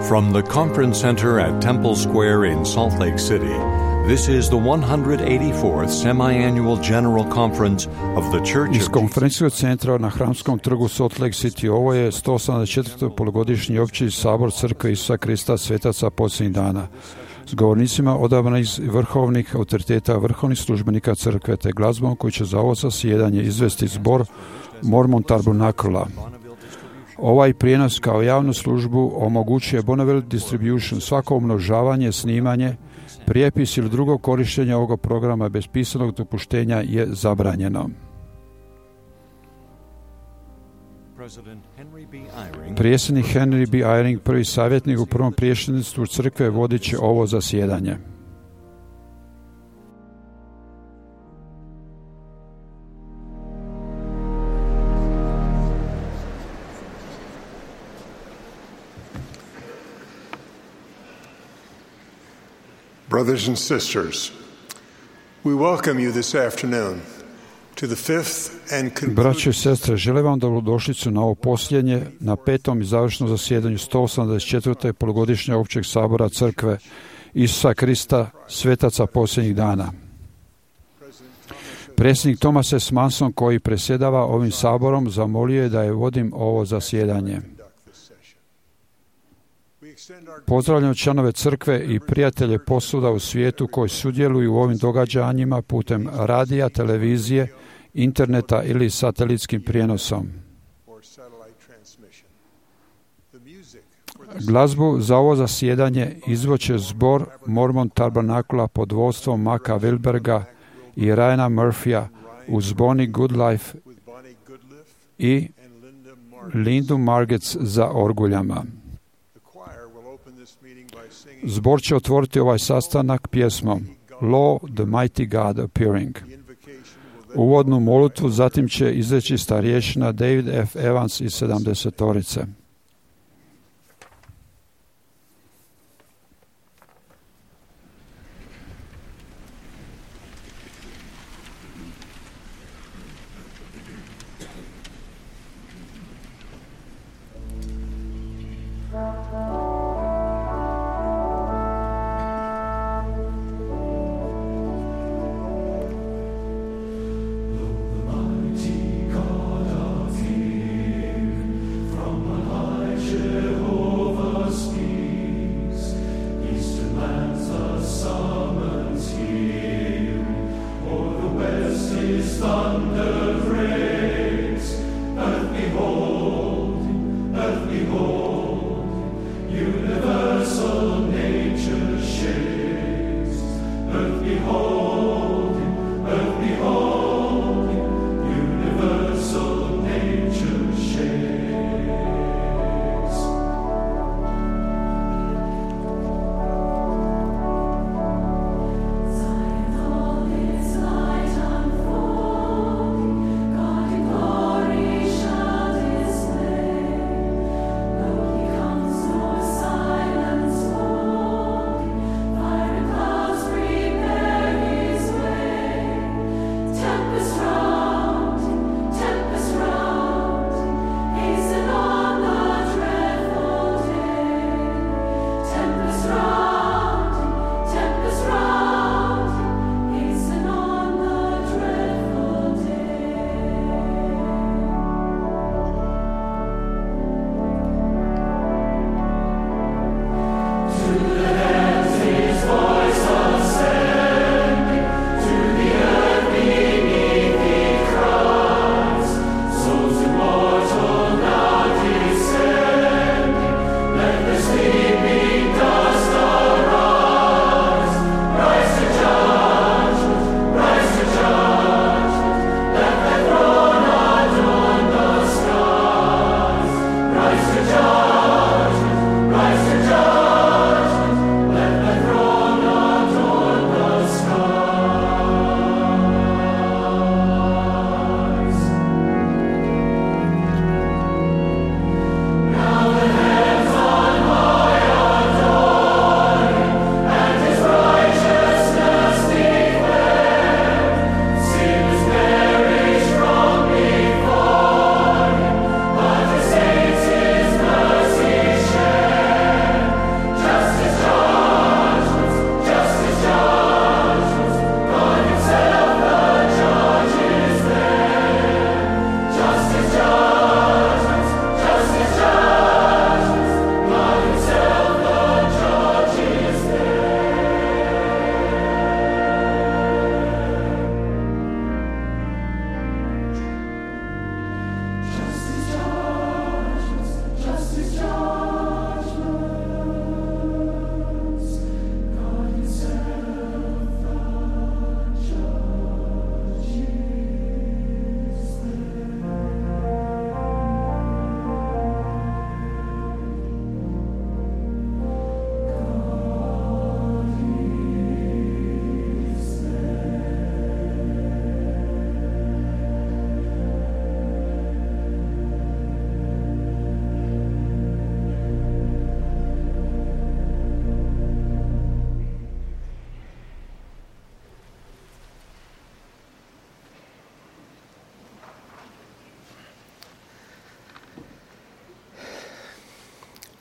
From the Conference Center at Temple Square in Salt Lake City, this is the 184th Semi-Annual General Conference of the Church Iz of konferencijskog centra na Hramskom trgu Salt Lake City ovo je 184. polugodišnji opći sabor Crkve Isusa Krista svetaca posljednjih dana. S govornicima odabrani iz vrhovnih autoriteta, vrhovnih službenika crkve te glazbom koji će za ovo zasjedanje izvesti zbor Mormon Tabernakla. Ovaj prijenos kao javnu službu omogućuje Bonneville Distribution. Svako umnožavanje, snimanje, prijepis ili drugo korištenje ovog programa bez pisanog dopuštenja je zabranjeno. Predsjednik Henry B. Eyring, prvi savjetnik u prvom predsjedništvu crkve, vodit će ovo zasjedanje. Brothers and sisters, we welcome you this afternoon to the fifth and Braće i sestre, želim vam dobrodošlicu na ovo posljednje, na petom i završnom zasjedanju 184. polugodišnje općeg sabora Crkve Isusa Krista svetaca posljednjih dana. Predsjednik Thomas S. Manson, koji predsjedava ovim saborom, zamolio je da je vodim ovo zasjedanje. Pozdravljam članove crkve i prijatelje posvuda u svijetu koji sudjeluju u ovim događanjima putem radija, televizije, interneta ili satelitskim prijenosom. Glazbu za ovo zasjedanje izvoće zbor Mormon Tabernakla pod vodstvom Maka Wilberga i Ryana Murphya uz Bonnie Goodlife i Lindu Margetts za orguljama. Zbor će otvoriti ovaj sastanak pjesmom Lo, the Mighty God Appearing. Uvodnu molitvu zatim će izreći starješina David F. Evans iz 70-torice. God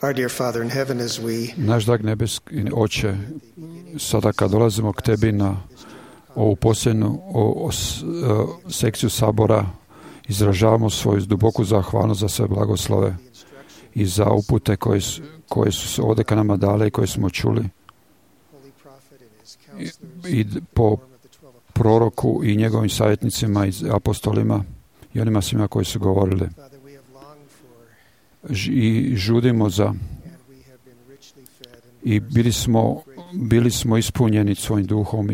Our dear Father in heaven, as we Naš drag nebeski Oče, sada kad dolazimo k Tebi na ovu posljednju sekciju sabora, izražavamo svoju duboku zahvalnost za sve blagoslove i za upute koje su se ovdje ka nama dale i koje smo čuli i po proroku i njegovim savjetnicima i apostolima i onima svima koji su govorili. I žudimo za i bili smo ispunjeni svojim duhom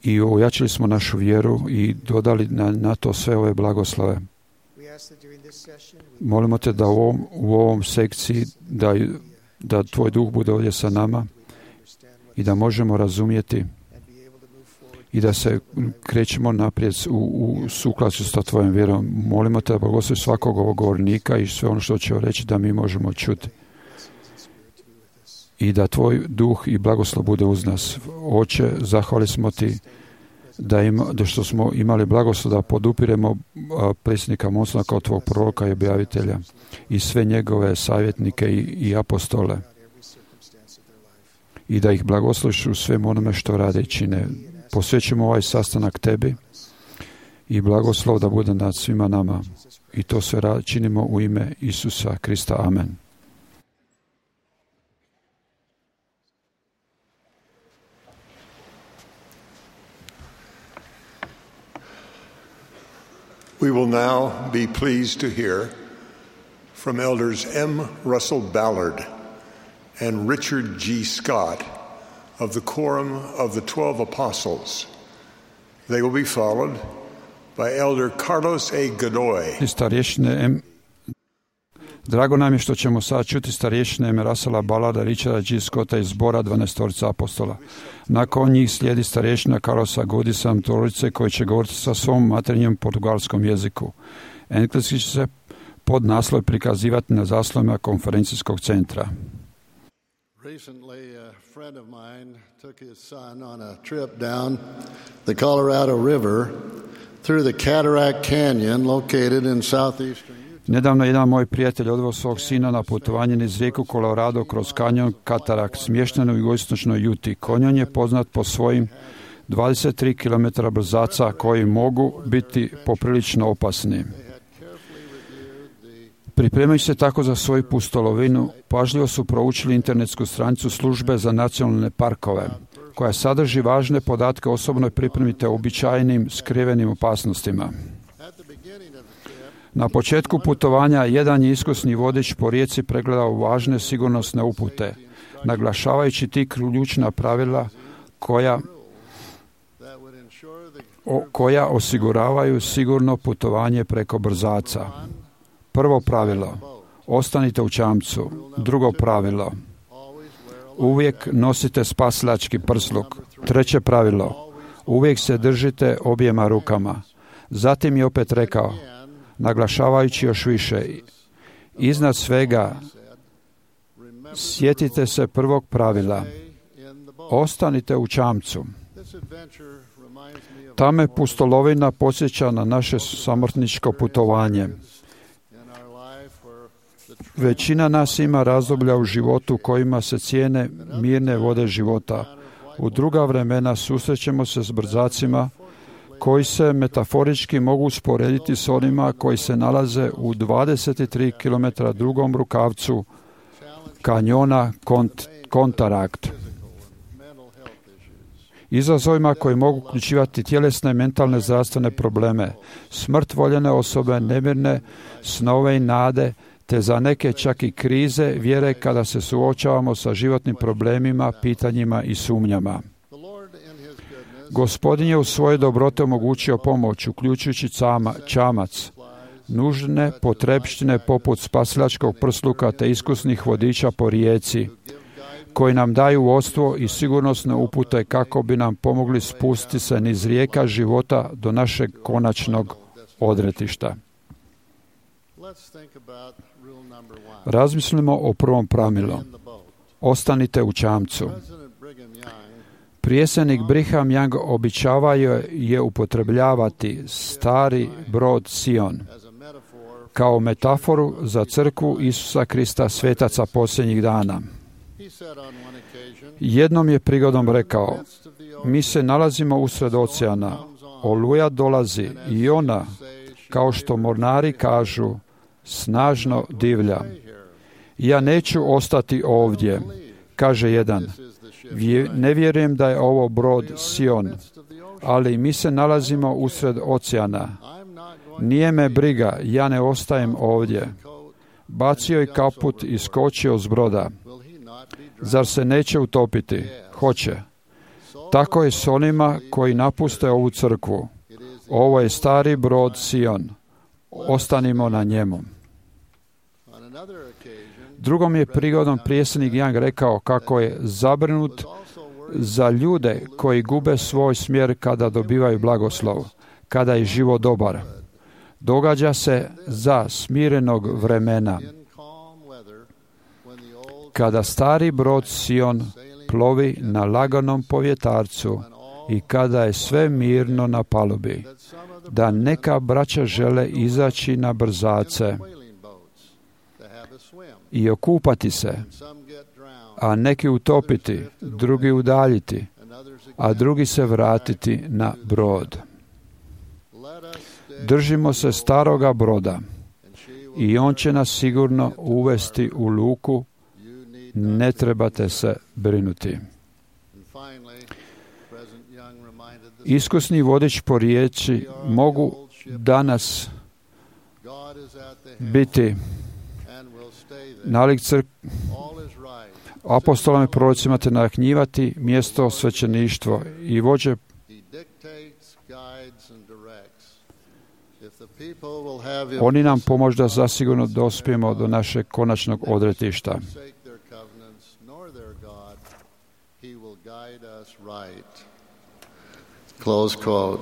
i ojačili smo našu vjeru i dodali na to sve ove blagoslove. Molimo te da u ovom sekciji da tvoj duh bude ovdje sa nama i da možemo razumjeti i da se krećemo naprijed u sukladstvu sa tvojom vjerom. Molimo te da blagoslovi svakog ovog govornika i sve ono što će reći da mi možemo čuti. I da tvoj duh i blagoslov bude uz nas. Oče, zahvali smo ti da što smo imali blagoslov da podupiremo predsjednika Monsona kao tvog proroka i objavitelja i sve njegove savjetnike i apostole. I da ih blagosloviš u svem onome što rade i čine. Posvećujemo ovaj sastanak tebi i blagoslov da bude nad svima nama. I to sve činimo u ime Isusa Krista. Amen. We will now be pleased to hear from Elders M. Russell Ballard and Richard G. Scott of the Quorum of the 12 Apostles. They will be followed by Elder Carlos A. Godoy. Drago nam je što ćemo sad čuti starješine M. Russella Ballarda, Richarda G. Scotta iz zbora 12 apostola. Nakon njih slijedi starješina Carlosa Godisa Torice koji će govoriti sa svom materinjem portugalskom jeziku. Engleski će se pod naslov prikazivati na zaslovima konferencijskog centra. Recently, a friend of mine took his son on a trip down the Colorado River through the Cataract Canyon located in southeastern Utah. Nedavno jedan moj prijatelj odveo svog sina na putovanje niz rijeku Colorado kroz kanjon Cataract, smješten u jugoistočnoj Juti. Kanjon je poznat po svojim 23 km brzaca koji mogu biti poprilično opasni. Pripremajući se tako za svoju pustolovinu, pažljivo su proučili internetsku stranicu Službe za nacionalne parkove, koja sadrži važne podatke o osobnoj pripremi te uobičajenim skrivenim opasnostima. Na početku putovanja jedan je iskusni vodič po rijeci pregledao važne sigurnosne upute, naglašavajući ti ključna pravila koja osiguravaju sigurno putovanje preko brzaca. Prvo pravilo, ostanite u čamcu. Drugo pravilo, uvijek nosite spasilački prsluk. Treće pravilo, uvijek se držite objema rukama. Zatim je opet rekao, naglašavajući još više, iznad svega, sjetite se prvog pravila, ostanite u čamcu. Ta me pustolovina podsjeća na naše samrtničko putovanje. Većina nas ima razdoblja u životu kojima se cijene mirne vode života. U druga vremena susrećemo se s brzacima koji se metaforički mogu usporediti s onima koji se nalaze u 23 km drugom rukavcu kanjona Cataract. Izazovima koji mogu uključivati tjelesne i mentalne zdravstvene probleme, smrt voljene osobe, nemirne snove i nade, te za neke čak i krize vjere kada se suočavamo sa životnim problemima, pitanjima i sumnjama. Gospodin je u svojoj dobrote omogućio pomoć, uključujući čamac, nužne potrepštine poput spasilačkog prsluka te iskusnih vodiča po rijeci, koji nam daju vodstvo i sigurnosne upute kako bi nam pomogli spustiti se niz rijeka života do našeg konačnog odretišta. Razmislimo o prvom pravilu. Ostanite u čamcu. Prijesednik Brigham Young običavao je upotrebljavati stari brod Sion kao metaforu za crkvu Isusa Krista, svetaca posljednjih dana. Jednom je prigodom rekao, mi se nalazimo usred oceana, oluja dolazi i ona, kao što mornari kažu, snažno divlja. Ja neću ostati ovdje, kaže jedan. Ne vjerujem da je ovo brod Sion, ali mi se nalazimo usred oceana. Nije me briga, ja ne ostajem ovdje. Bacio je kaput i skočio s broda. Zar se neće utopiti? Hoće. Tako je s onima koji napuste ovu crkvu. Ovo je stari brod Sion. Ostanimo na njemu. Drugom je prigodom predsjednik Young rekao kako je zabrinut za ljude koji gube svoj smjer kada dobivaju blagoslov, kada je život dobar. Događa se za smirenog vremena, kada stari brod Sion plovi na laganom povjetarcu i kada je sve mirno na palubi, da neka braća žele izaći na brzace i okupati se, a neki utopiti, drugi udaljiti, a drugi se vratiti na brod. Držimo se staroga broda i on će nas sigurno uvesti u luku, ne trebate se brinuti. Iskusni vodič po riječi mogu danas biti nalik apostolama i prorocima te nahnjivati mjesto svećeništvo i vođe. Oni nam pomožu da zasigurno dospijemo do našeg konačnog odretišta. Close quote.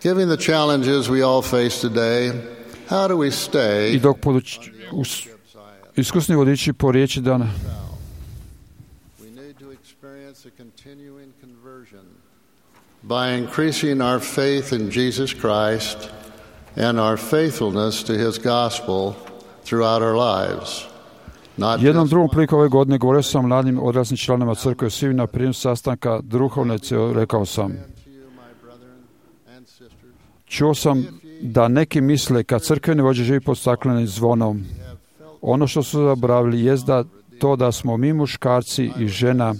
Given the challenges we all face today, how do we stay? I dok iskusni vodiči po riječi dana We need to experience a continuing conversion by increasing our faith in Jesus Christ and our faithfulness to His gospel throughout our lives. Jednom drugom priliku ove godine govorio sam mladim odraslim članovima crkve svi na prijem sastanka duhovne rekao sam. Čuo sam da neki misle kad crkveni vođe živi pod staklenim zvonom. Ono što su zaboravili jest da smo mi muškarci i žena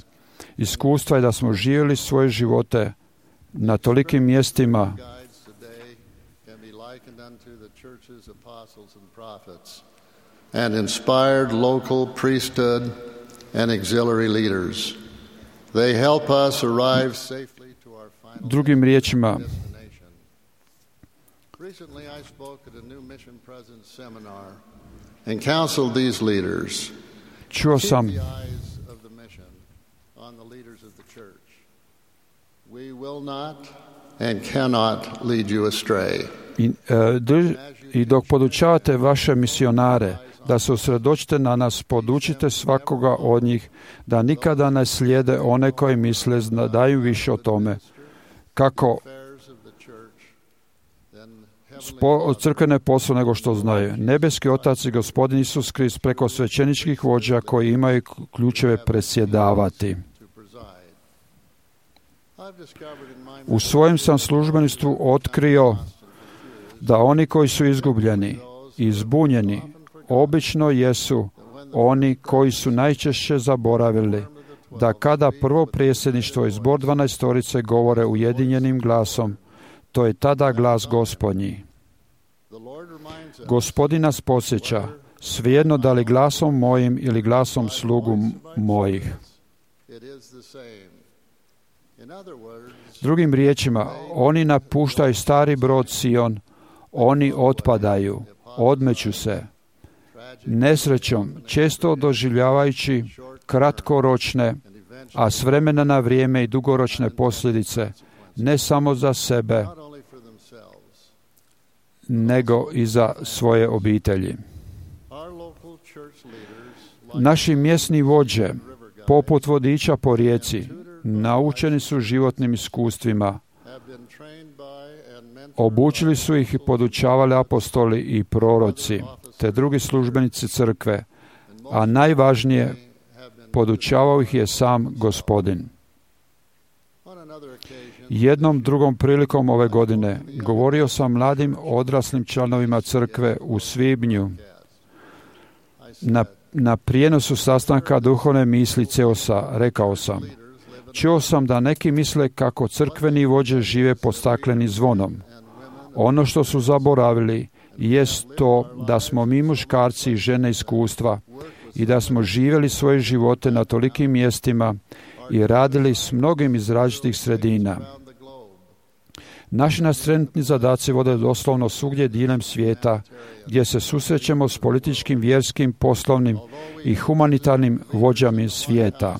iskustva i da smo živjeli svoje živote na tolikim mjestima and inspired local priesthood and auxiliary leaders. They help us arrive safely to our final drugim riječima. Recently I spoke at a new mission presence seminar and counseled these leaders. Čuo sam Keep the eyes of the mission on the leaders of the church. We will not and cannot lead you astray. I dok podučavate vaše misionare da se usredočite na nas, podučite svakoga od njih da nikada ne slijede one koji misle da daju više o tome kako od crkvene posla nego što znaju. Nebeski Otac i Gospodin Isus Krist preko svećeničkih vođa koji imaju ključeve presjedavati. U svojem sam službeništvu otkrio da oni koji su izgubljeni i zbunjeni obično jesu oni koji su najčešće zaboravili da kada prvo predsjedništvo i zbor 12 govore ujedinjenim glasom, to je tada glas Gospodnji. Gospodin nas podsjeća, svejedno da li glasom mojim ili glasom slugu mojih. Drugim riječima, oni napuštaju stari brod Sion, oni otpadaju, odmeću se, nesrećom, često doživljavajući kratkoročne, a s vremena na vrijeme i dugoročne posljedice, ne samo za sebe, nego i za svoje obitelji. Naši mjesni vođe, poput vodiča po rijeci, naučeni su životnim iskustvima, Obučili su ih i podučavali apostoli i proroci, te drugi službenici crkve, a najvažnije, podučavao ih je sam Gospodin. Jednom drugom prilikom ove godine govorio sam mladim odraslim članovima crkve u svibnju na prijenosu sastanka duhovne misli CEOS-a. Rekao sam: čuo sam da neki misle kako crkveni vođe žive pod staklenim zvonom. Ono što su zaboravili jest to da smo mi muškarci i žene iskustva i da smo živjeli svoje živote na tolikim mjestima i radili s mnogim iz različitih sredina. Naši nas trenutni zadaci vode doslovno svugdje diljem svijeta, gdje se susrećemo s političkim, vjerskim, poslovnim i humanitarnim vođama svijeta.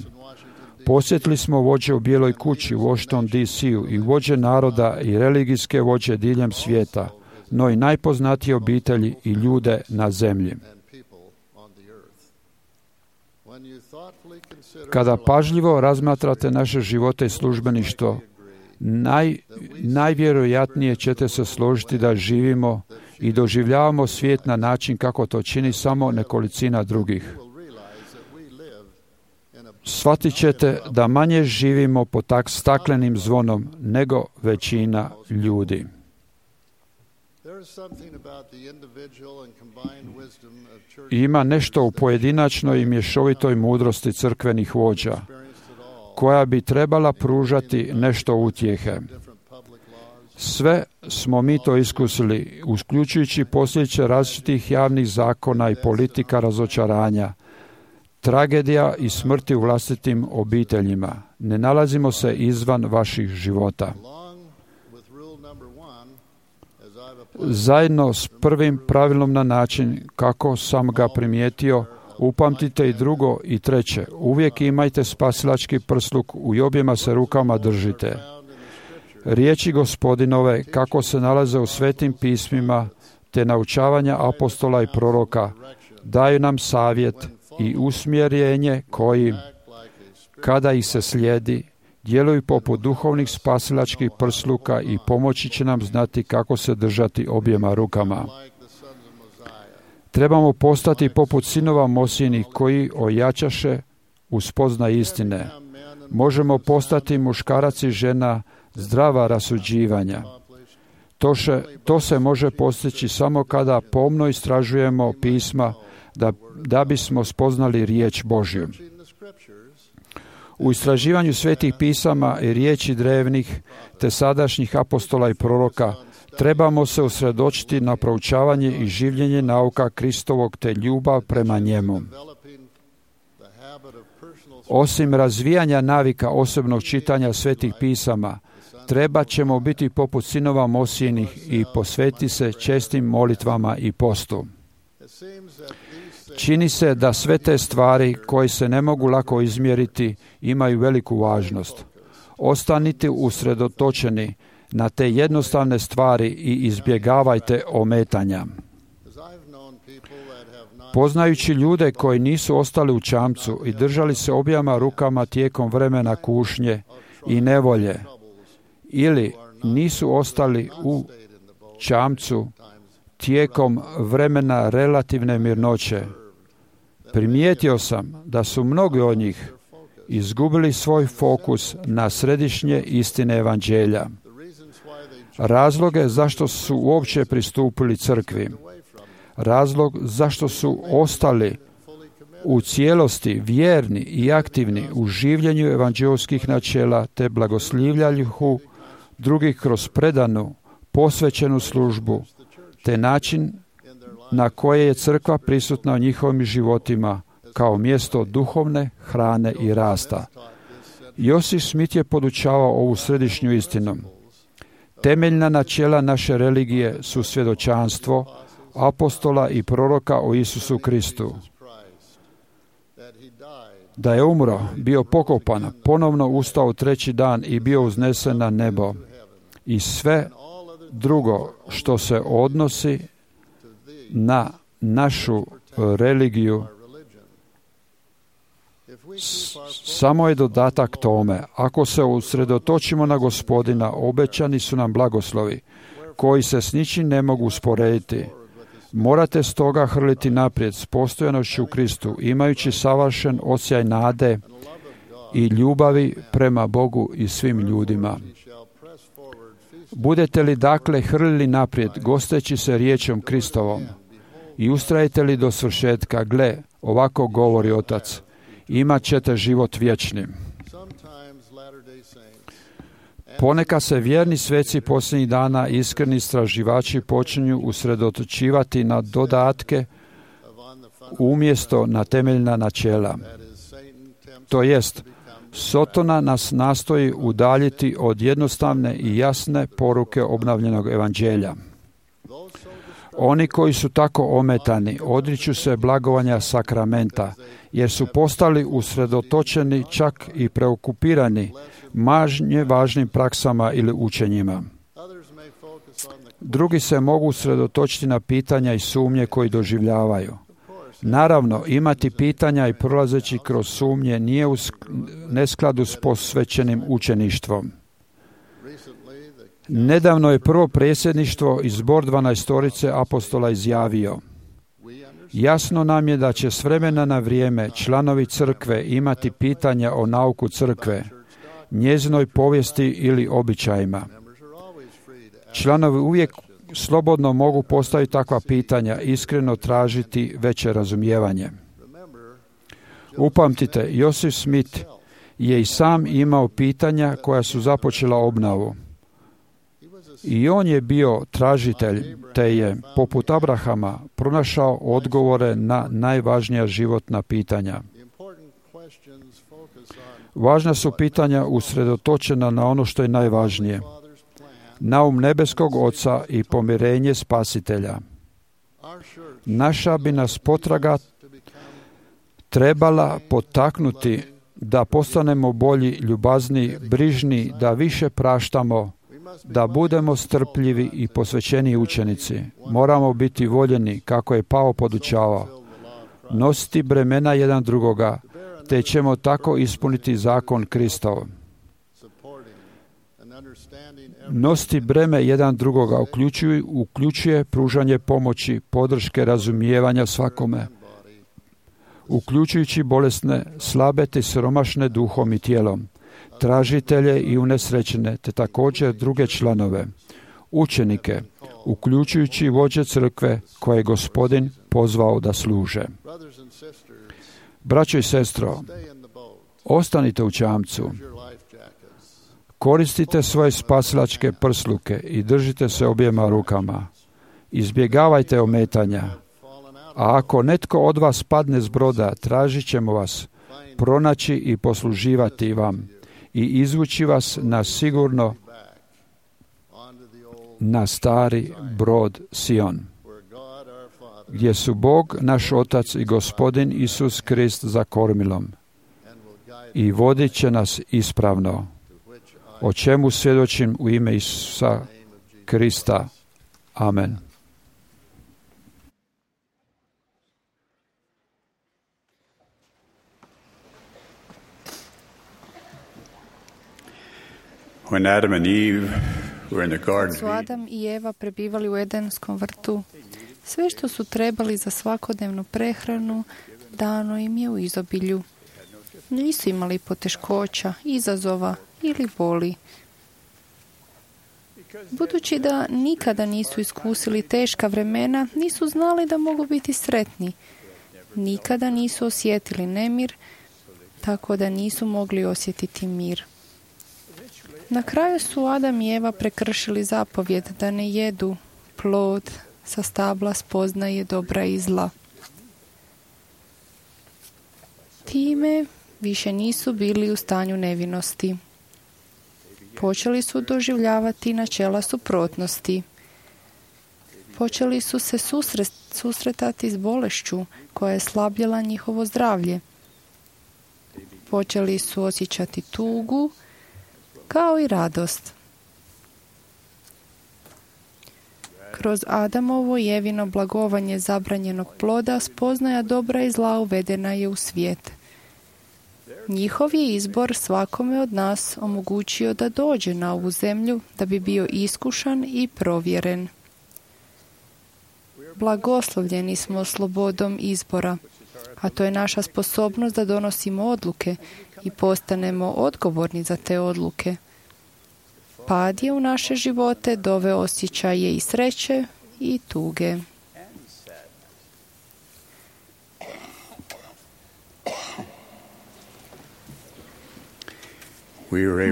Posjetili smo vođe u Bijeloj kući u Washington DC-u i vođe naroda i religijske vođe diljem svijeta, no i najpoznatije obitelji i ljude na zemlji. Kada pažljivo razmatrate naše živote i službeništvo, najvjerojatnije ćete se složiti da živimo i doživljavamo svijet na način kako to čini samo nekolicina drugih. Shvatit ćete da manje živimo pod tak staklenim zvonom nego većina ljudi. Ima nešto u pojedinačnoj i mješovitoj mudrosti crkvenih vođa, koja bi trebala pružati nešto utjehe. Sve smo mi to iskusili, uključujući posljedice različitih javnih zakona i politika razočaranja, tragedija i smrti u vlastitim obiteljima. Ne nalazimo se izvan vaših života. Zajedno s prvim pravilom na način kako sam ga primijetio, upamtite i drugo i treće. Uvijek imajte spasilački prsluk i objema se rukama držite. Riječi Gospodinove kako se nalaze u svetim pismima te naučavanja apostola i proroka daju nam savjet i usmjerenje koji, kada ih se slijedi, djeluju poput duhovnih spasilačkih prsluka i pomoći će nam znati kako se držati objema rukama. Trebamo postati poput sinova Mosijinih koji ojačaše u spoznaj istine. Možemo postati muškarac i žena zdrava rasuđivanja. To se može postići samo kada pomno istražujemo pisma da bismo spoznali riječ Božju. U istraživanju svetih pisama i riječi drevnih te sadašnjih apostola i proroka trebamo se usredočiti na proučavanje i življenje nauka Kristovog te ljubav prema njemu. Osim razvijanja navika osobnog čitanja svetih pisama, treba ćemo biti poput sinova Mosijinih i posvetiti se čestim molitvama i postu. Čini se da sve te stvari koje se ne mogu lako izmjeriti imaju veliku važnost. Ostanite usredotočeni na te jednostavne stvari i izbjegavajte ometanja. Poznajući ljude koji nisu ostali u čamcu i držali se objema rukama tijekom vremena kušnje i nevolje, ili nisu ostali u čamcu tijekom vremena relativne mirnoće, primijetio sam da su mnogi od njih izgubili svoj fokus na središnje istine evanđelja. Razloge zašto su uopće pristupili crkvi, razlog zašto su ostali u cijelosti vjerni i aktivni u življenju evanđelskih načela te blagoslivljanju drugih kroz predanu, posvećenu službu, te način na koje je crkva prisutna u njihovim životima kao mjesto duhovne hrane i rasta. Josip Smith je podučavao ovu središnju istinu. Temeljna načela naše religije su svjedočanstvo apostola i proroka o Isusu Kristu. Da je umro, bio pokopan, ponovno ustao treći dan i bio uznesen na nebo. I sve drugo što se odnosi na našu religiju samo je dodatak tome. Ako se usredotočimo na Gospodina, obećani su nam blagoslovi koji se s ničim ne mogu usporediti. Morate stoga hrliti naprijed s postojanošću u Kristu, imajući savršen osjećaj nade i ljubavi prema Bogu i svim ljudima. Budete li dakle hrlili naprijed, gosteći se riječom Kristovom, i ustrajete li do svršetka, gle, ovako govori Otac, imat ćete život vječni. Ponekad se vjerni sveci posljednjih dana, iskreni istraživači, počinju usredotočivati na dodatke umjesto na temeljna načela. To jest, Sotona nas nastoji udaljiti od jednostavne i jasne poruke obnovljenog evanđelja. Oni koji su tako ometani odriču se blagovanja sakramenta, jer su postali usredotočeni, čak i preokupirani manje važnim praksama ili učenjima. Drugi se mogu usredotočiti na pitanja i sumnje koji doživljavaju. Naravno, imati pitanja i prolazeći kroz sumnje nije u neskladu s posvećenim učeništvom. Nedavno je prvo predsjedništvo i zbor 12 apostola izjavio: jasno nam je da će s vremena na vrijeme članovi crkve imati pitanja o nauku crkve, njezinoj povijesti ili običajima. Članovi uvijek slobodno mogu postaviti takva pitanja, iskreno tražiti veće razumijevanje. Upamtite, Joseph Smith je i sam imao pitanja koja su započela obnovu. I on je bio tražitelj, te je, poput Abrahama, pronašao odgovore na najvažnija životna pitanja. Važna su pitanja usredotočena na ono što je najvažnije: naum nebeskog Oca i pomirenje Spasitelja. Naša bi nas potraga trebala potaknuti da postanemo bolji, ljubazniji, brižni, da više praštamo, da budemo strpljivi i posvećeni učenici. Moramo biti voljeni, kako je Pao podučavao, nositi bremena jedan drugoga, te ćemo tako ispuniti zakon Kristov. Nositi breme jedan drugoga uključuje pružanje pomoći, podrške, razumijevanja svakome, uključujući bolesne, slabe te siromašne duhom i tijelom, tražitelje i unesrećene, te također druge članove, učenike, uključujući vođe crkve koje je Gospodin pozvao da služe. Braćo i sestro, ostanite u čamcu, koristite svoje spasilačke prsluke i držite se objema rukama. Izbjegavajte ometanja. A ako netko od vas padne s broda, tražit ćemo vas, pronaći i posluživati vam i izvući vas na sigurno na stari brod Sion, gdje su Bog, naš Otac i Gospodin Isus Krist za kormilom, i vodit će nas ispravno, o čemu svjedočim u ime Isusa Krista. Amen. When Adam and Eve were in the garden, su Adam i Eva prebivali u Edenskom vrtu, sve što su trebali za svakodnevnu prehranu dano im je u izobilju. Nisu imali poteškoća, izazova ili boli. Budući da nikada nisu iskusili teška vremena, nisu znali da mogu biti sretni. Nikada nisu osjetili nemir, tako da nisu mogli osjetiti mir. Na kraju su Adam i Eva prekršili zapovjed da ne jedu plod sa stabla spoznaje dobra i zla. Time više nisu bili u stanju nevinosti. Počeli su doživljavati načela suprotnosti. Počeli su se susretati s bolešću koja je slabljala njihovo zdravlje. Počeli su osjećati tugu kao i radost. Kroz Adamovo i Evino blagovanje zabranjenog ploda spoznaja dobra i zla uvedena je u svijet. Njihov je izbor svakome od nas omogućio da dođe na ovu zemlju da bi bio iskušan i provjeren. Blagoslovljeni smo slobodom izbora, a to je naša sposobnost da donosimo odluke i postanemo odgovorni za te odluke. Pad je u naše živote doveo osjećaje i sreće i tuge.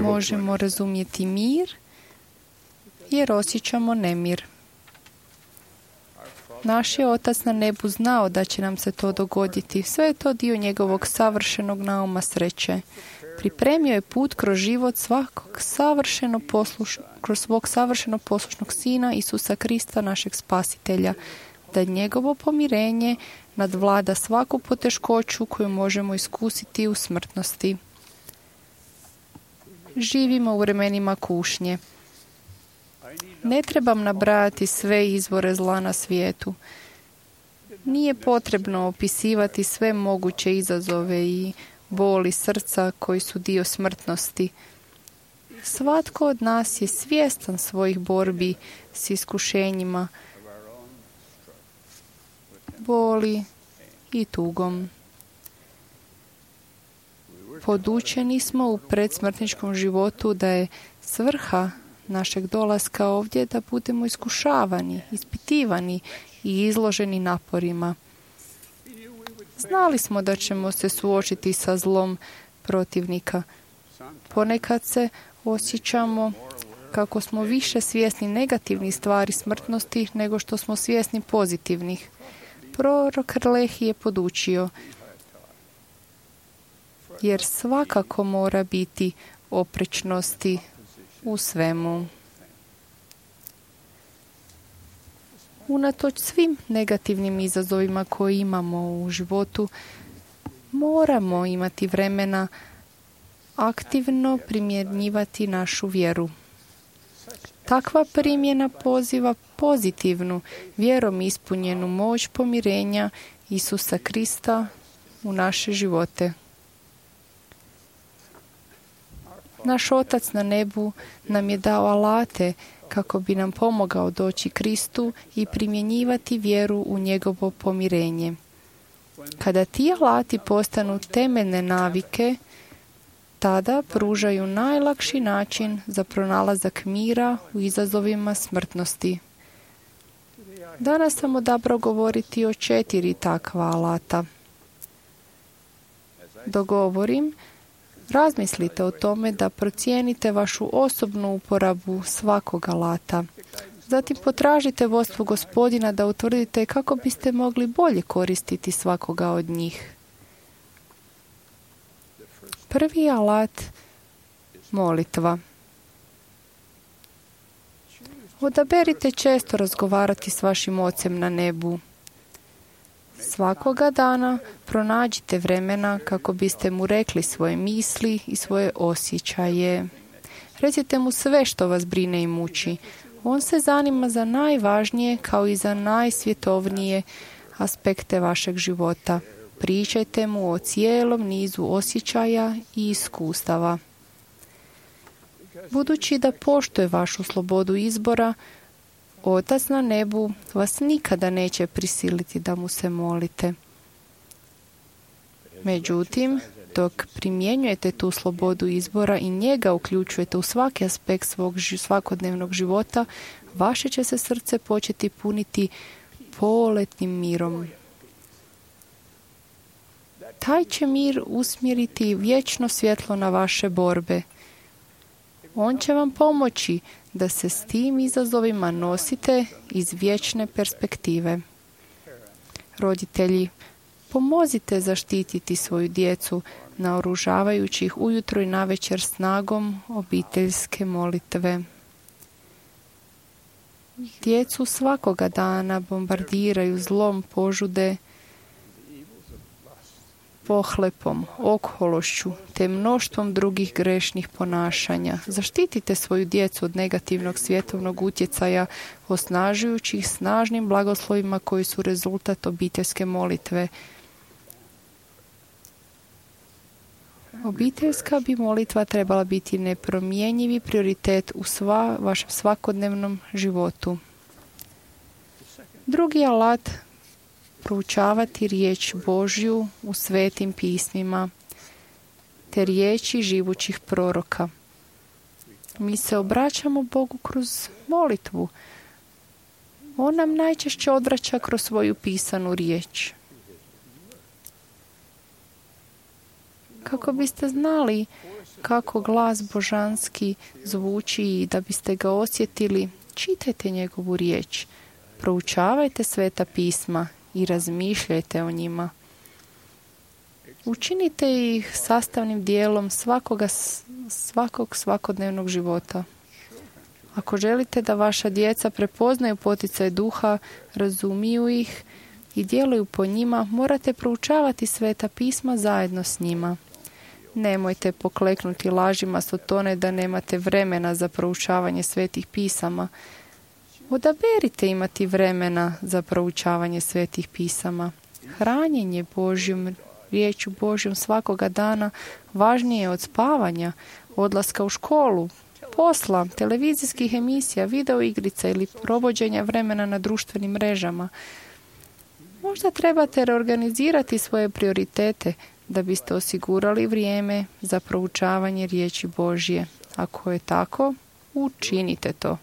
Možemo razumjeti mir jer osjećamo nemir. Naš je Otac na nebu znao da će nam se to dogoditi. Sve je to dio njegovog savršenog nauma sreće. Pripremio je put kroz život kroz svog savršeno poslušnog Sina Isusa Krista, našeg Spasitelja, da njegovo pomirenje nadvlada svaku poteškoću koju možemo iskusiti u smrtnosti. Živimo u vremenima kušnje. Ne trebam nabrajati sve izvore zla na svijetu. Nije potrebno opisivati sve moguće izazove i boli srca koji su dio smrtnosti. Svatko od nas je svjestan svojih borbi s iskušenjima, boli i tugom. Podučeni smo u predsmrtničkom životu da je svrha našeg dolaska ovdje da budemo iskušavani, ispitivani i izloženi naporima. Znali smo da ćemo se suočiti sa zlom protivnika. Ponekad se osjećamo kako smo više svjesni negativnih stvari smrtnosti nego što smo svjesni pozitivnih. Prorok Lehi je podučio, jer svakako mora biti oprečnosti u svemu. Unatoč svim negativnim izazovima koje imamo u životu, moramo imati vremena aktivno primjenjivati našu vjeru. Takva primjena poziva pozitivnu, vjerom ispunjenu moć pomirenja Isusa Krista u naše živote. Naš Otac na nebu nam je dao alate kako bi nam pomogao doći Kristu i primjenjivati vjeru u njegovo pomirenje. Kada ti alati postanu temeljne navike, tada pružaju najlakši način za pronalazak mira u izazovima smrtnosti. Danas sam odabrao govoriti o 4 takva alata. Dok govorim, razmislite o tome da procijenite vašu osobnu uporabu svakog alata. Zatim potražite vodstvo Gospodina da utvrdite kako biste mogli bolje koristiti svakoga od njih. Prvi alat, molitva. Odaberite često razgovarati s vašim Ocem na nebu. Svakoga dana pronađite vremena kako biste mu rekli svoje misli i svoje osjećaje. Recite mu sve što vas brine i muči. On se zanima za najvažnije kao i za najsvjetovnije aspekte vašeg života. Pričajte mu o cijelom nizu osjećaja i iskustava. Budući da poštuje vašu slobodu izbora, Otac na nebu vas nikada neće prisiliti da mu se molite. Međutim, dok primjenjujete tu slobodu izbora i njega uključujete u svaki aspekt svog svakodnevnog života, vaše će se srce početi puniti poletnim mirom. Taj će mir usmjeriti vječno svjetlo na vaše borbe. On će vam pomoći da se s tim izazovima nosite iz vječne perspektive. Roditelji, pomozite zaštititi svoju djecu, naoružavajući ih ujutro i navečer snagom obiteljske molitve. Djecu svakoga dana bombardiraju zlom požude, pohlepom, okološću te mnoštvom drugih grešnih ponašanja. Zaštitite svoju djecu od negativnog svjetovnog utjecaja, osnažujući ih snažnim blagoslovima koji su rezultat obiteljske molitve. Obiteljska bi molitva trebala biti nepromjenjivi prioritet u vašem svakodnevnom životu. Drugi alat, proučavati riječ Božju u svetim pismima, te riječi živućih proroka. Mi se obraćamo Bogu kroz molitvu. On nam najčešće odvraća kroz svoju pisanu riječ. Kako biste znali kako glas božanski zvuči i da biste ga osjetili, čitajte njegovu riječ, proučavajte sveta pisma i razmišljajte o njima. Učinite ih sastavnim dijelom svakog svakodnevnog života. Ako želite da vaša djeca prepoznaju poticaj duha, razumiju ih i djeluju po njima, morate proučavati sveta pisma zajedno s njima. Nemojte pokleknuti lažima Sotone da nemate vremena za proučavanje svetih pisama. Odaberite imati vremena za proučavanje svetih pisama. Hranjenje Božjom, riječu Božjom svakoga dana važnije je od spavanja, odlaska u školu, posla, televizijskih emisija, videoigrica ili provođenja vremena na društvenim mrežama. Možda trebate reorganizirati svoje prioritete da biste osigurali vrijeme za proučavanje riječi Božje. Ako je tako, učinite to.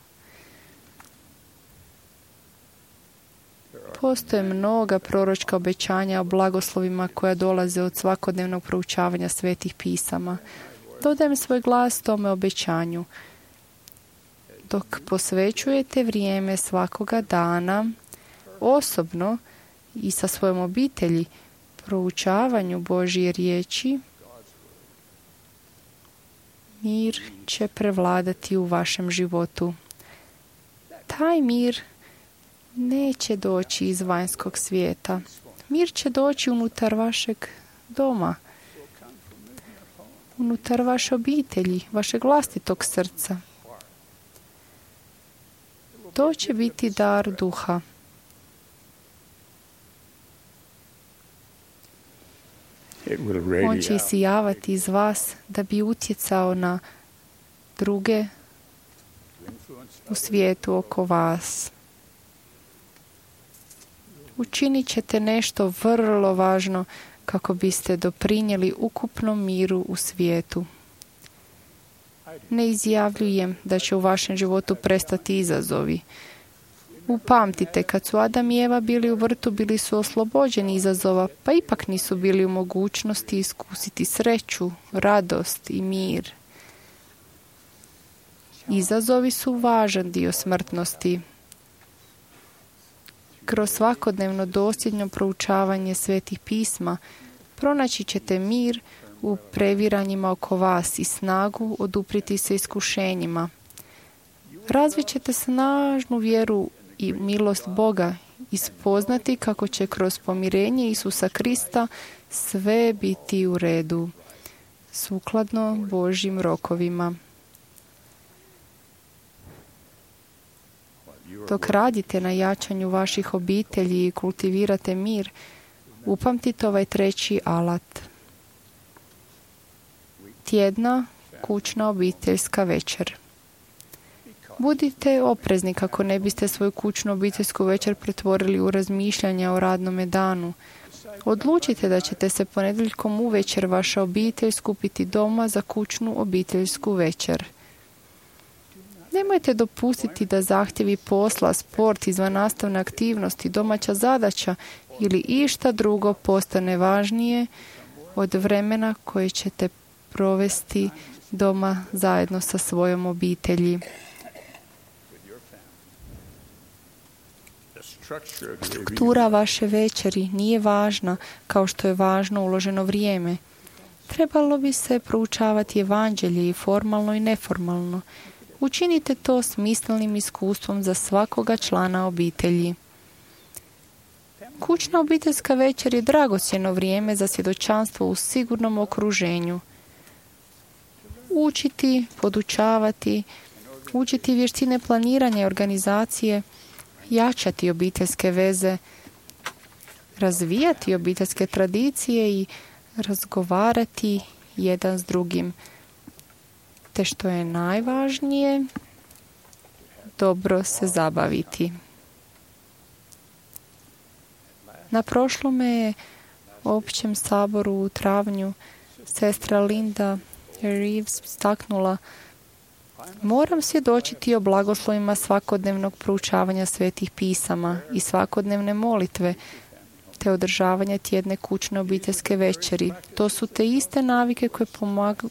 Postoje mnoga proročka obećanja o blagoslovima koja dolaze od svakodnevnog proučavanja svetih pisama. Dodajem svoj glas tome obećanju. Dok posvećujete vrijeme svakoga dana, osobno i sa svojom obitelji, proučavanju Božje riječi, mir će prevladati u vašem životu. Taj mir neće doći iz vanjskog svijeta. Mir će doći unutar vašeg doma, unutar vaše obitelji, vašeg vlastitog srca. To će biti dar duha. On će isijavati iz vas da bi utjecao na druge u svijetu oko vas. Učinit ćete nešto vrlo važno kako biste doprinijeli ukupnom miru u svijetu. Ne izjavljujem da će u vašem životu prestati izazovi. Upamtite, kad su Adam i Eva bili u vrtu, bili su oslobođeni izazova, pa ipak nisu bili u mogućnosti iskusiti sreću, radost i mir. Izazovi su važan dio smrtnosti. Kroz svakodnevno dosljedno proučavanje svetih pisma pronaći ćete mir u previranjima oko vas i snagu odupriti se iskušenjima. Razvit ćete snažnu vjeru i milost Boga i spoznati kako će kroz pomirenje Isusa Krista sve biti u redu, sukladno Božjim rokovima. Dok radite na jačanju vaših obitelji i kultivirate mir, upamtite ovaj treći alat. Tjedna kućna obiteljska večer. Budite oprezni kako ne biste svoju kućnu obiteljsku večer pretvorili u razmišljanja o radnome danu. Odlučite da ćete se ponedjeljkom uvečer vaša obitelj skupiti doma za kućnu obiteljsku večer. Nemojte dopustiti da zahtjevi posla, sport, izvannastavne aktivnosti, domaća zadaća ili išta drugo postane važnije od vremena koje ćete provesti doma zajedno sa svojom obitelji. Struktura vaše večeri nije važna kao što je važno uloženo vrijeme. Trebalo bi se proučavati evanđelje i formalno i neformalno. Učinite to smislenim iskustvom za svakoga člana obitelji. Kućna obiteljska večer je dragocjeno vrijeme za svjedočanstvo u sigurnom okruženju. Učiti, podučavati, učiti vještine planiranja i organizacije, jačati obiteljske veze, razvijati obiteljske tradicije i razgovarati jedan s drugim. Te što je najvažnije, dobro se zabaviti. Na prošlome općem saboru u travnju sestra Linda Reeves istaknula: moram svjedočiti o blagoslovima svakodnevnog proučavanja svetih pisama i svakodnevne molitve, te održavanja tjedne kućne obiteljske večeri. To su te iste navike koje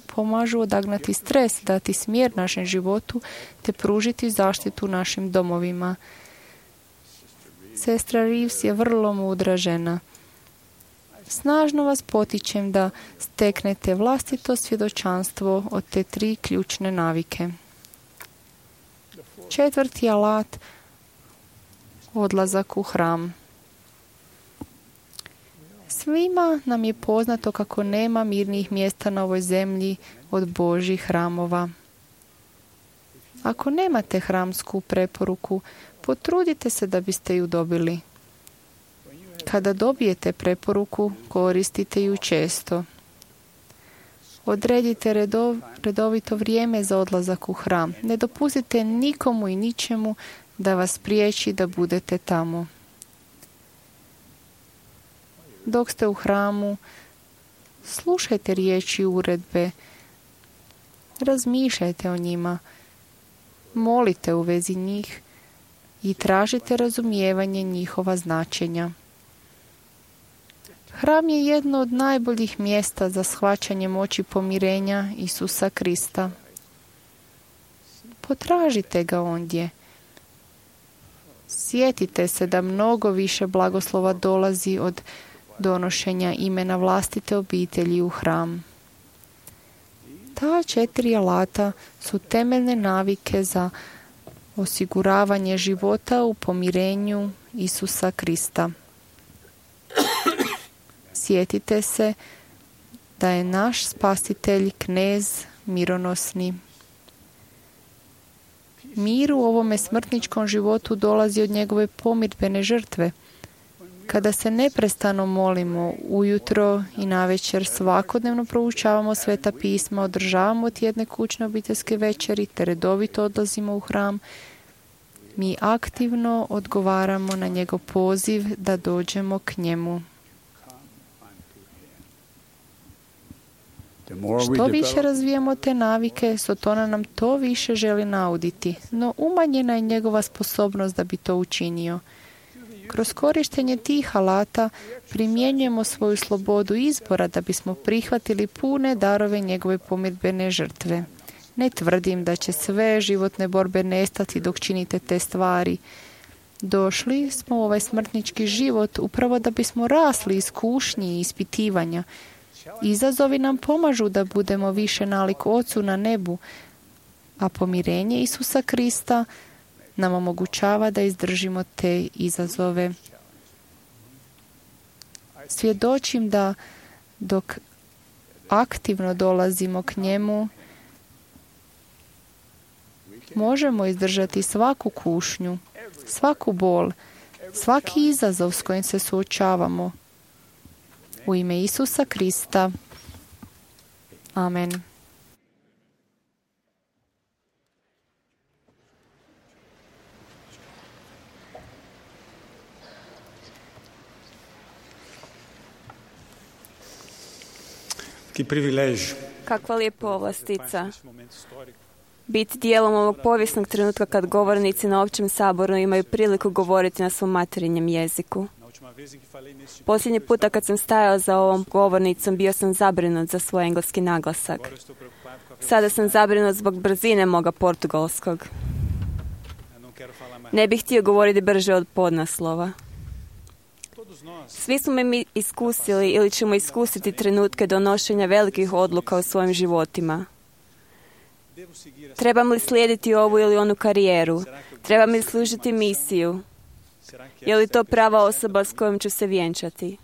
pomažu odagnati stres, dati smjer našem životu, te pružiti zaštitu našim domovima. Sestra Reeves je vrlo mudra žena. Snažno vas potičem da steknete vlastito svjedočanstvo od te 3 ključne navike. 4. alat, odlazak u hram. Svima nam je poznato kako nema mirnih mjesta na ovoj zemlji od Božjih hramova. Ako nemate hramsku preporuku, potrudite se da biste ju dobili. Kada dobijete preporuku, koristite ju često. Odredite redovito vrijeme za odlazak u hram. Ne dopustite nikomu i ničemu da vas priječi da budete tamo. Dok ste u hramu, slušajte riječi uredbe, razmišljajte o njima, molite u vezi njih i tražite razumijevanje njihova značenja. Hram je jedno od najboljih mjesta za shvaćanje moći pomirenja Isusa Krista. Potražite ga ondje. Sjetite se da mnogo više blagoslova dolazi od donošenja imena vlastite obitelji u hram. Ta 4 alata su temeljne navike za osiguravanje života u pomirenju Isusa Krista. Sjetite se da je naš spasitelj knez mironosni. Mir u ovome smrtničkom životu dolazi od njegove pomirbene žrtve. Kada se neprestano molimo ujutro i navečer, svakodnevno proučavamo sveta pisma, održavamo tjedne kućne obiteljske večeri te redovito odlazimo u hram, mi aktivno odgovaramo na njegov poziv da dođemo k njemu. Što više razvijamo te navike, Sotona nam to više želi nauditi, no umanjena je njegova sposobnost da bi to učinio. Kroz korištenje tih alata primjenjujemo svoju slobodu izbora da bismo prihvatili pune darove njegove pomirbene žrtve. Ne tvrdim da će sve životne borbe nestati dok činite te stvari. Došli smo u ovaj smrtnički život upravo da bismo rasli iz kušnji i ispitivanja. Izazovi nam pomažu da budemo više nalik Ocu na nebu, a pomirenje Isusa Krista nam omogućava da izdržimo te izazove. Svjedočim da dok aktivno dolazimo k njemu, možemo izdržati svaku kušnju, svaku bol, svaki izazov s kojim se suočavamo. U ime Isusa Krista. Amen. Kakva lijepa povlastica biti dijelom ovog povijesnog trenutka kad govornici na općem saboru imaju priliku govoriti na svom materinjem jeziku. Posljednji puta kad sam stajao za ovom govornicom bio sam zabrinut za svoj engleski naglasak. Sada sam zabrinut zbog brzine moga portugalskog. Ne bih htio govoriti brže od podnaslova. Svi smo mi iskusili ili ćemo iskusiti trenutke donošenja velikih odluka u svojim životima. Trebam li slijediti ovu ili onu karijeru? Trebam li služiti misiju? Je li to prava osoba s kojom ću se vjenčati?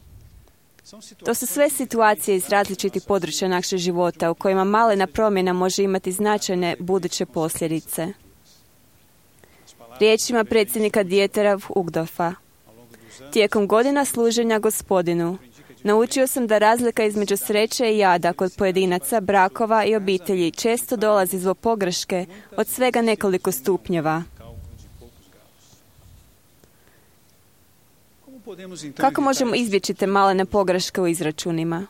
To su sve situacije iz različitih područja našeg života u kojima malena promjena može imati značajne buduće posljedice. Riječima predsjednika Dietera Uchtdorfa. Tijekom godina služenja Gospodinu, Naučio sam da razlika između sreće i jada kod pojedinaca, brakova i obitelji često dolazi zbog pogreške od svega nekoliko stupnjeva. Kako možemo izbjeći te malene pogreške u izračunima?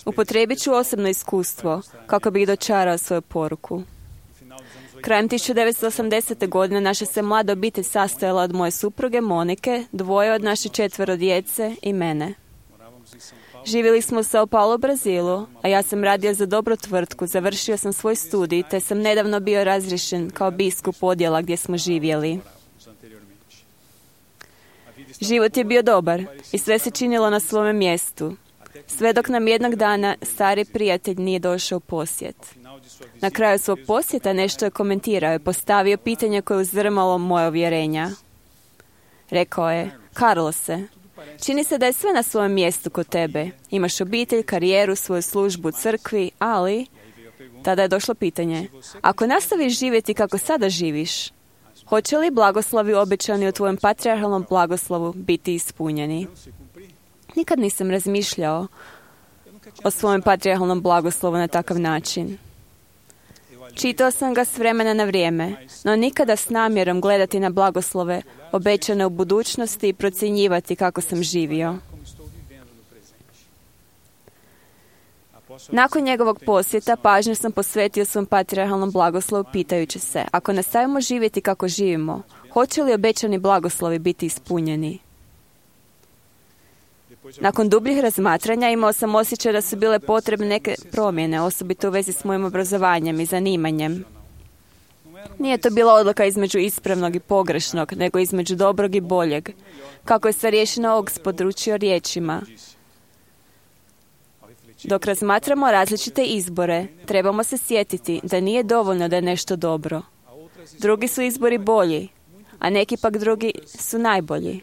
Upotrijebit ću osobno iskustvo kako bih dočarao svoju poruku. Krajem 1980. godine naša se mlada obitelj sastojala od moje supruge Monike, 2 od naše 4 djece i mene. Živjeli smo u Sao Paulo, Brazilu, a ja sam radio za dobru tvrtku, završio sam svoj studij, te sam nedavno bio razriješen kao biskup odjela gdje smo živjeli. Život je bio dobar i sve se činilo na svome mjestu, sve dok nam jednog dana stari prijatelj nije došao u posjet. Na kraju svog posjeta nešto je komentirao i postavio pitanje koje je uzdrmalo moje uvjerenja. Rekao je: Carlose, čini se da je sve na svojem mjestu kod tebe. Imaš obitelj, karijeru, svoju službu u crkvi, ali... Tada je došlo pitanje: ako nastaviš živjeti kako sada živiš, hoće li blagoslovi obećani u tvojem patrijarhalnom blagoslovu biti ispunjeni? Nikad nisam razmišljao o svojem patrijarhalnom blagoslovu na takav način. Čitao sam ga s vremena na vrijeme, no nikada s namjerom gledati na blagoslove obećane u budućnosti i procjenjivati kako sam živio. Nakon njegovog posjeta pažnju sam posvetio svom patrijarhalnom blagoslovu pitajući se: ako nastavimo živjeti kako živimo, hoće li obećani blagoslovi biti ispunjeni? Nakon dubljih razmatranja imao sam osjećaj da su bile potrebne neke promjene, osobito u vezi s mojim obrazovanjem i zanimanjem. Nije to bila odluka između ispravnog i pogrešnog, nego između dobrog i boljeg. Kako je starješina Oaks područio riječima: dok razmatramo različite izbore, trebamo se sjetiti da nije dovoljno da je nešto dobro. Drugi su izbori bolji, a neki pak drugi su najbolji.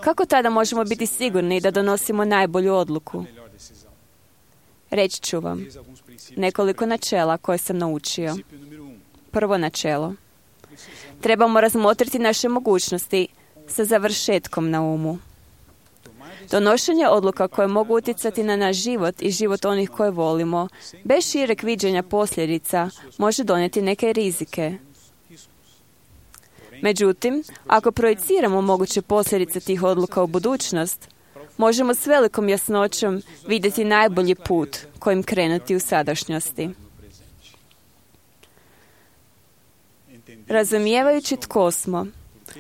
Kako tada možemo biti sigurni da donosimo najbolju odluku? Reći ću vam nekoliko načela koje sam naučio. Prvo načelo: trebamo razmotriti naše mogućnosti sa završetkom na umu. Donošenje odluka koje mogu utjecati na naš život i život onih koje volimo, bez šireg viđenja posljedica, može donijeti neke rizike. Međutim, ako projiciramo moguće posljedice tih odluka u budućnost, možemo s velikom jasnoćom vidjeti najbolji put kojim krenuti u sadašnjosti. Razumijevajući tko smo,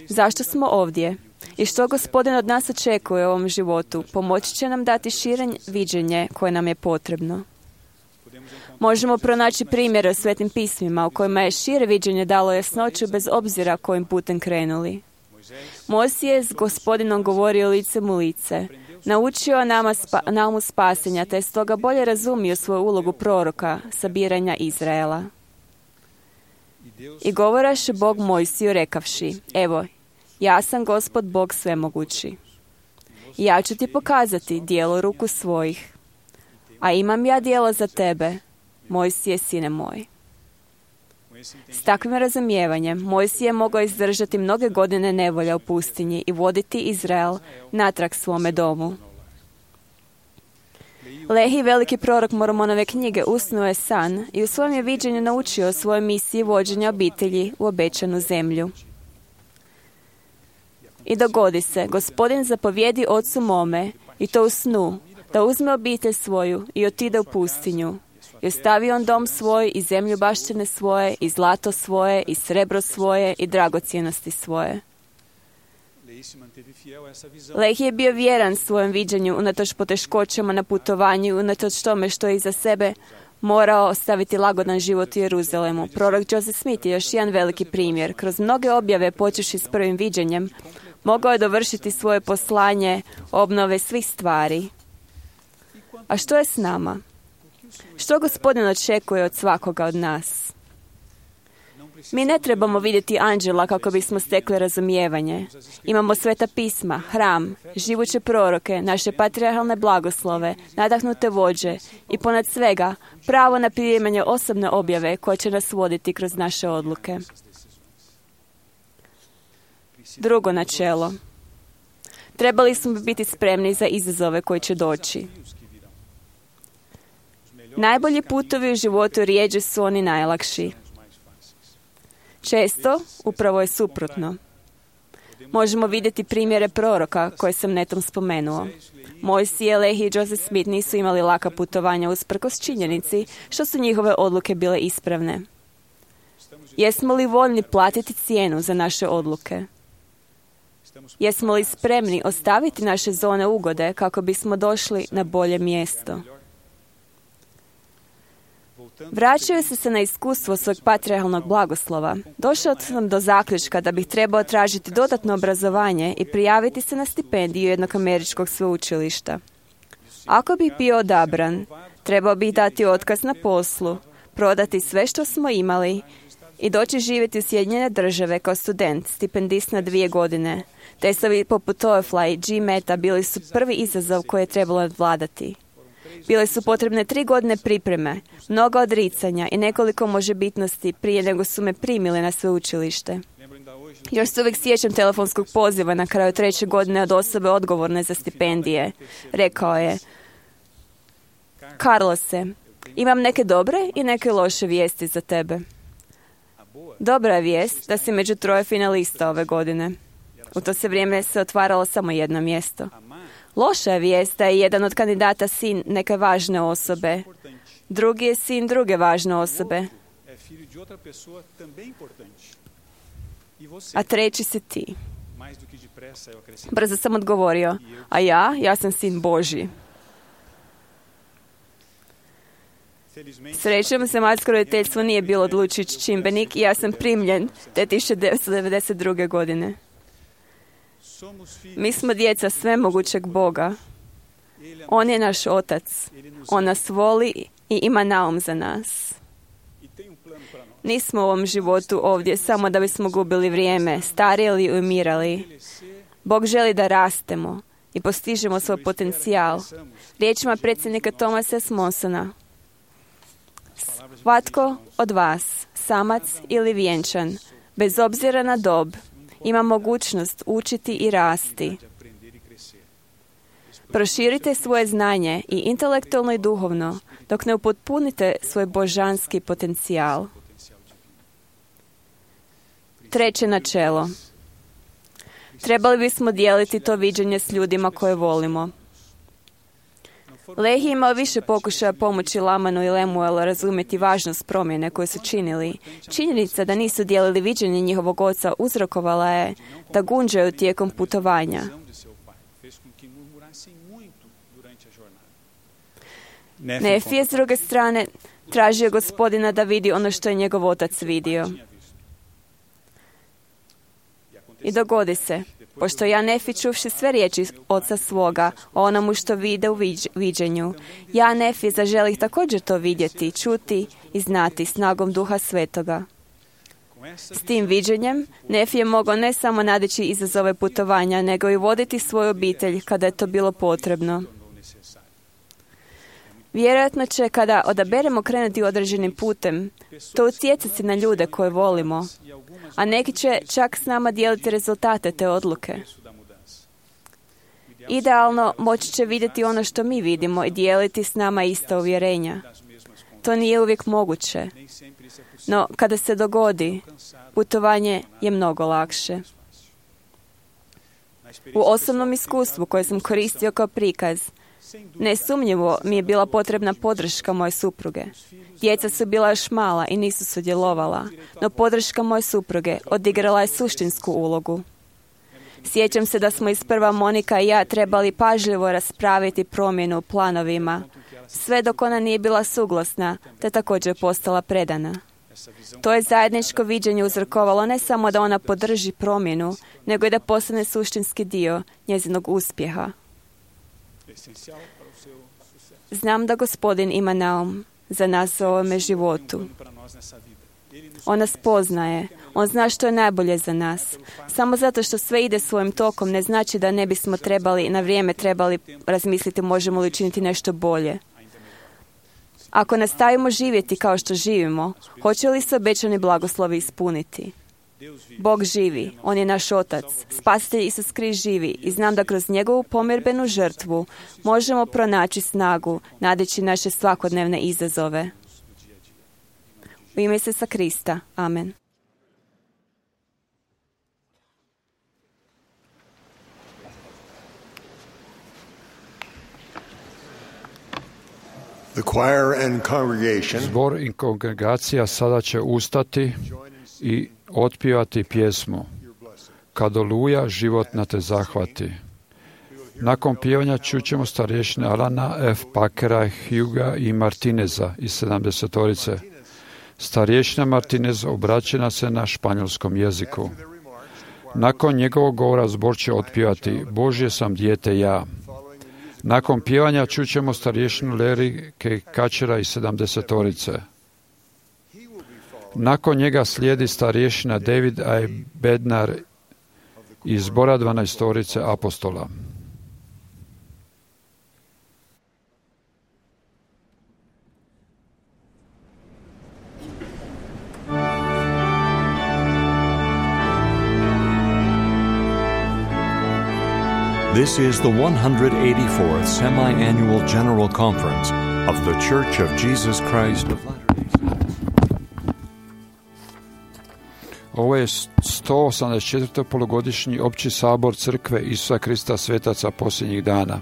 zašto smo ovdje i što Gospodin od nas očekuje u ovom životu, pomoći će nam dati šire viđenje koje nam je potrebno. Možemo pronaći primjere u Svetim pismima u kojima je šire viđenje dalo jasnoću bez obzira kojim putem krenuli. Mojsije je s Gospodinom govorio licem u lice, naučio naumu spasenja, te je stoga bolje razumio svoju ulogu proroka sabiranja Izraela. I govoraše Bog Mojsiju rekavši: evo, ja sam Gospod Bog svemogući. Ja ću ti pokazati djelo ruku svojih, a imam ja djelo za tebe, Mojsije, sine moj. S takvim razumijevanjem Mojsije je mogao izdržati mnoge godine nevolja u pustinji i voditi Izrael natrag svome domu. Lehi, veliki prorok Mormonove knjige, usnuo je san i u svojem je viđenju naučio o svojoj misiji vođenja obitelji u obećanu zemlju. I dogodi se, Gospodin zapovjedi ocu mome, i to u snu, da uzme obitelj svoju i otide u pustinju. I ostavi on dom svoj i zemlju baštine svoje i zlato svoje i srebro svoje i dragocjenosti svoje. Lehi je bio vjeran svojem viđenju unatoč poteškoćama na putovanju, unatoč tome što je iza sebe morao ostaviti lagodan život u Jeruzalemu. Prorok Joseph Smith je još jedan veliki primjer. Kroz mnoge objave, počevši s prvim viđenjem, mogao je dovršiti svoje poslanje obnove svih stvari. A što je s nama? Što Gospodin očekuje od svakoga od nas? Mi ne trebamo vidjeti anđela kako bismo stekli razumijevanje. Imamo Sveta pisma, hram, živuće proroke, naše patrijarhalne blagoslove, nadahnute vođe i ponad svega pravo na primanje osobne objave koje će nas voditi kroz naše odluke. Drugo načelo. Trebali smo biti spremni za izazove koji će doći. Najbolji putovi u životu rijeđe su oni najlakši. Često, upravo je suprotno. Možemo vidjeti primjere proroka koje sam netom spomenuo. Mojsije, Lehi i Joseph Smith nisu imali laka putovanja usprkos činjenici što su njihove odluke bile ispravne. Jesmo li voljni platiti cijenu za naše odluke? Jesmo li spremni ostaviti naše zone ugode kako bismo došli na bolje mjesto? Vraćajući se na iskustvo svog patrijarhalnog blagoslova, došao sam do zaključka da bih trebao tražiti dodatno obrazovanje i prijaviti se na stipendiju jednog američkog sveučilišta. Ako bih bio odabran, trebao bih dati otkaz na poslu, prodati sve što smo imali i doći živjeti u Sjedinjene Države kao student, stipendist na 2 godine. Testovi poput TOEFL-a i GMAT-a bili su prvi izazov koji je trebalo nadvladati. Bile su potrebne 3 godine pripreme, mnoga odricanja i nekoliko možebitnosti prije nego su me primili na sveučilište. Još se uvijek sjećam telefonskog poziva na kraju 3. godine od osobe odgovorne za stipendije. Rekao je: Carlose, imam neke dobre i neke loše vijesti za tebe. Dobra je vijest da si među 3 finalista ove godine. U to se vrijeme se otvaralo samo jedno mjesto. Loša je vijest da je jedan od kandidata sin neke važne osobe. Drugi je sin druge važne osobe. A treći si ti. Brzo sam odgovorio: a ja sam sin Božji. Srećom, sematsko roditeljstvo nije bilo odlučujući čimbenik i ja sam primljen te 1992. godine. Mi smo djeca svemogućeg Boga. On je naš otac. On nas voli i ima naum za nas. Nismo u ovom životu ovdje samo da bismo gubili vrijeme, starili i umirali. Bog želi da rastemo i postižemo svoj potencijal. Riječima predsjednika Thomasa S. Monsona: svatko od vas, samac ili vjenčan, bez obzira na dob, ima mogućnost učiti i rasti. Proširite svoje znanje i intelektualno i duhovno dok ne upotpunite svoj božanski potencijal. 3. načelo. Trebali bismo dijeliti to viđenje s ljudima koje volimo. Lehi imao više pokušaja pomoći Lamanu i Lemuelu razumjeti važnost promjene koje su činili. Činjenica da nisu dijelili viđenje njihovog oca uzrokovala je da gunđaju tijekom putovanja. Nefi je s druge strane tražio Gospodina da vidi ono što je njegov otac vidio. I dogodi se, pošto ja Nefi čuvši sve riječi oca svoga o onomu što vide u viđenju, ja Nefi zaželih također to vidjeti, čuti i znati snagom Duha Svetoga. S tim viđenjem Nefi je mogao ne samo nadići izazove putovanja, nego i voditi svoju obitelj kada je to bilo potrebno. Vjerojatno će, kada odaberemo krenuti određenim putem, to utjecati na ljude koje volimo, a neki će čak s nama dijeliti rezultate te odluke. Idealno, moći će vidjeti ono što mi vidimo i dijeliti s nama ista uvjerenja. To nije uvijek moguće, no kada se dogodi, putovanje je mnogo lakše. U osobnom iskustvu koje sam koristio kao prikaz, nesumnjivo mi je bila potrebna podrška moje supruge. Djeca su bila još mala i nisu sudjelovala, no podrška moje supruge odigrala je suštinsku ulogu. Sjećam se da smo isprva Monika i ja trebali pažljivo raspraviti promjenu u planovima, sve dok ona nije bila suglasna, te također postala predana. To je zajedničko viđenje uzrokovalo ne samo da ona podrži promjenu, nego i da postane suštinski dio njezinog uspjeha. Znam da Gospodin ima naum za nas u ovome životu. On nas poznaje. On zna što je najbolje za nas. Samo zato što sve ide svojim tokom ne znači da ne bismo na vrijeme trebali razmisliti možemo li učiniti nešto bolje. Ako nastavimo živjeti kao što živimo, hoće li se obećani blagoslovi ispuniti? Bog živi, On je naš Otac, Spasitelj Isus Krist živi i znam da kroz njegovu pomirbenu žrtvu možemo pronaći snagu, nadeći naše svakodnevne izazove. U ime Isusa Krista. Amen. The choir and congregation Zbor i kongregacija sada će ustati i otpivati pjesmu Kad oluja životna te zahvati. Nakon pjevanja čućemo starješine Alana F. Pakera, Huga i Martineza iz 70-orice. Starješina Martinez obraća se na španjolskom jeziku. Nakon njegovog govora zbor će otpivati Božje sam dijete ja. Nakon pjevanja čućemo starješinu Larry K. Kačera iz 70-orice. Nakon njega slijedi starješina David A. Bednar iz zbora 12-orice apostola. This is the 184th Semi-Annual General Conference of the Church of Jesus Christ of Latter-day Saints. Ovo je 184. polugodišnji opći sabor Crkve Isusa Krista svetaca posljednjih dana.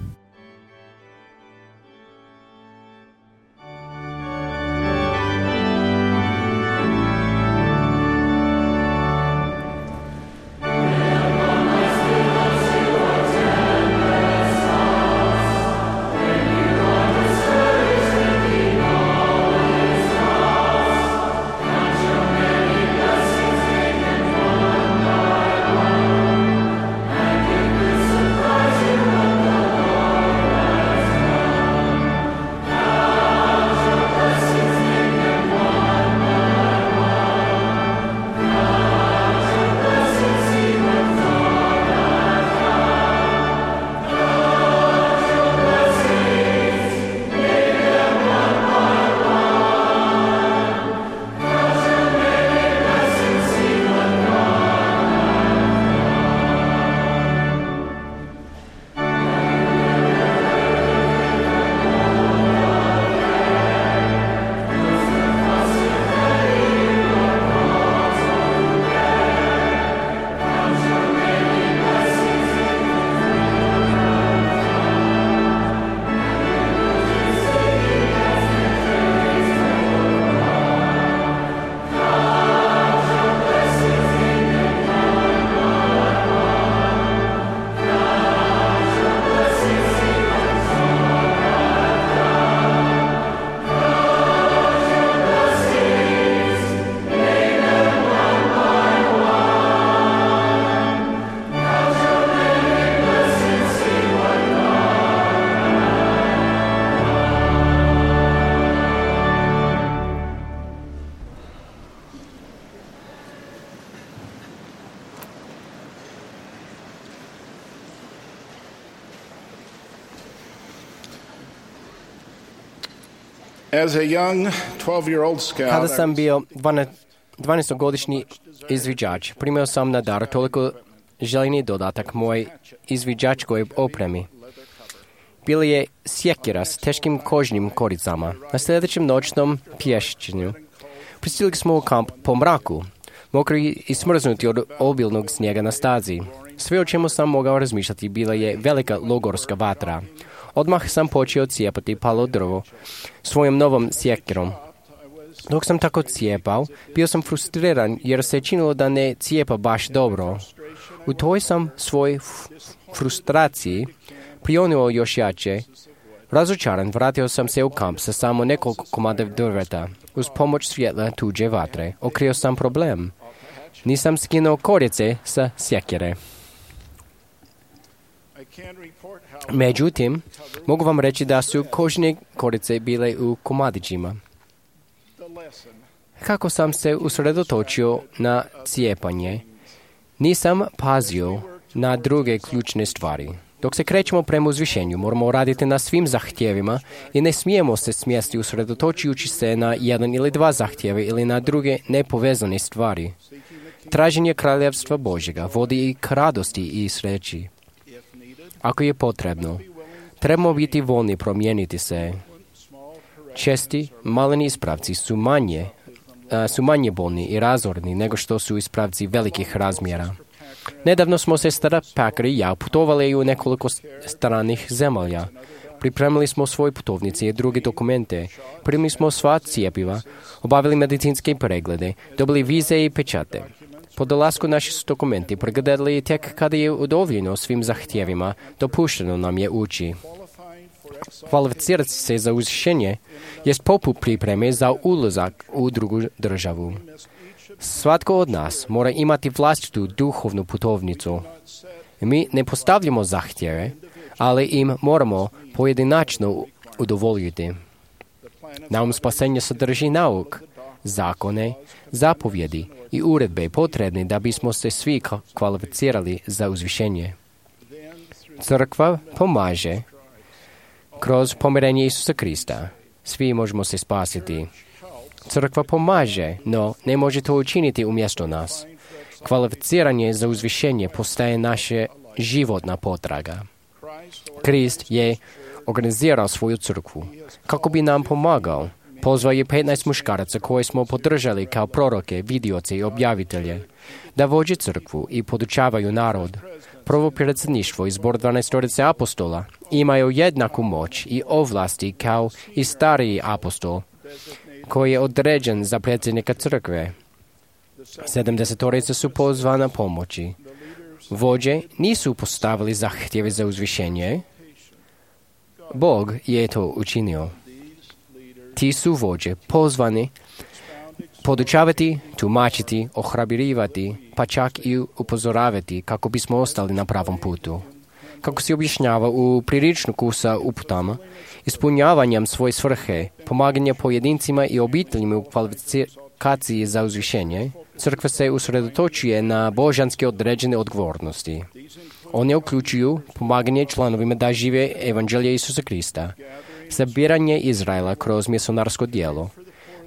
Kada sam bio 12-godišnji izviđač, primio sam na dar toliko željeni dodatak moj izviđačkoj opremi. Bila je sjekira s teškim kožnim koricama. Na sljedećem noćnom pješćenju pristigli smo u kamp po mraku, mokri i smrznuti od obilnog snijega na stazi. Sve o čemu sam mogao razmišljati bila je velika logorska vatra. Odmah sam počeo cijepati palo drvo svojom novom sjekirom. Dok sam tako cijepao, bio sam frustriran jer se činilo da ne cijepa baš dobro. U toj sam svoj frustraciji prionuo još jače. Razočaran, vratio sam se u kamp sa samo nekoliko komada drveta. Uz pomoć svjetla tuđe vatre otkrio sam problem. Nisam skinuo korice sa sjekire. Međutim, mogu vam reći da su kožne korice bile u komadićima. Kako sam se usredotočio na cijepanje, nisam pazio na druge ključne stvari. Dok se krećemo prema uzvišenju, moramo raditi na svim zahtjevima i ne smijemo se smjesti usredotočujući se na jedan ili dva zahtjeve ili na druge nepovezane stvari. Traženje kraljevstva Božjega vodi i k radosti i sreći. Ako je potrebno, trebamo biti voljni promijeniti se. Česti, maleni ispravci su manje bolni i razorni nego što su ispravci velikih razmjera. Nedavno smo se Stara Packer i ja putovali u nekoliko stranih zemalja. Pripremili smo svoje putovnice i druge dokumente, primili smo sva cijepiva, obavili medicinske preglede, dobili vize i pečate. Po dolasku naši su dokumenti pregledali tek kada je udovoljeno svim zahtjevima, dopušteno nam je ući. Kvalificirati se za uzvišenje jest poput pripreme za ulazak u drugu državu. Svatko od nas mora imati vlastitu duhovnu putovnicu. Mi ne postavljamo zahtjeve, ali im moramo pojedinačno udovoljiti. Naum spasenja sadrži nauk, zakone, zapovjedi i uredbe potrebne da bismo se svi kvalificirali za uzvišenje. Crkva pomaže kroz pomirenje Isusa Krista. Svi možemo se spasiti. Crkva pomaže, no ne može to učiniti umjesto nas. Kvalificiranje za uzvišenje postaje naša životna potraga. Krist je organizirao svoju crkvu. Kako bi nam pomagao, pozvao je 15 muškaraca koje smo podržali kao proroke, vidioce i objavitelje, da vođe crkvu i podučavaju narod. Prvo predsjedništvo i zbor 12 apostola imaju jednaku moć i ovlasti kao i stariji apostol, koji je određen za predsjednika crkve. 70 su pozvana pomoći. Vođe nisu postavili zahtjeve za uzvišenje. Bog je to učinio. Ti su vođe pozvani podučavati, tumačiti, ohrabrivati, pa čak i upozoravati kako bismo ostali na pravom putu. Kako se objašnjava u priručniku sa uputama, ispunjavanjem svoje svrhe, pomaganje pojedincima i obiteljima u kvalifikaciji za uzvišenje, crkva se usredotočuje na božanske određene odgovornosti. One uključuju pomaganje članovima da žive evanđelje Isusa Krista, sabiranje Izraela kroz misionarsko djelo,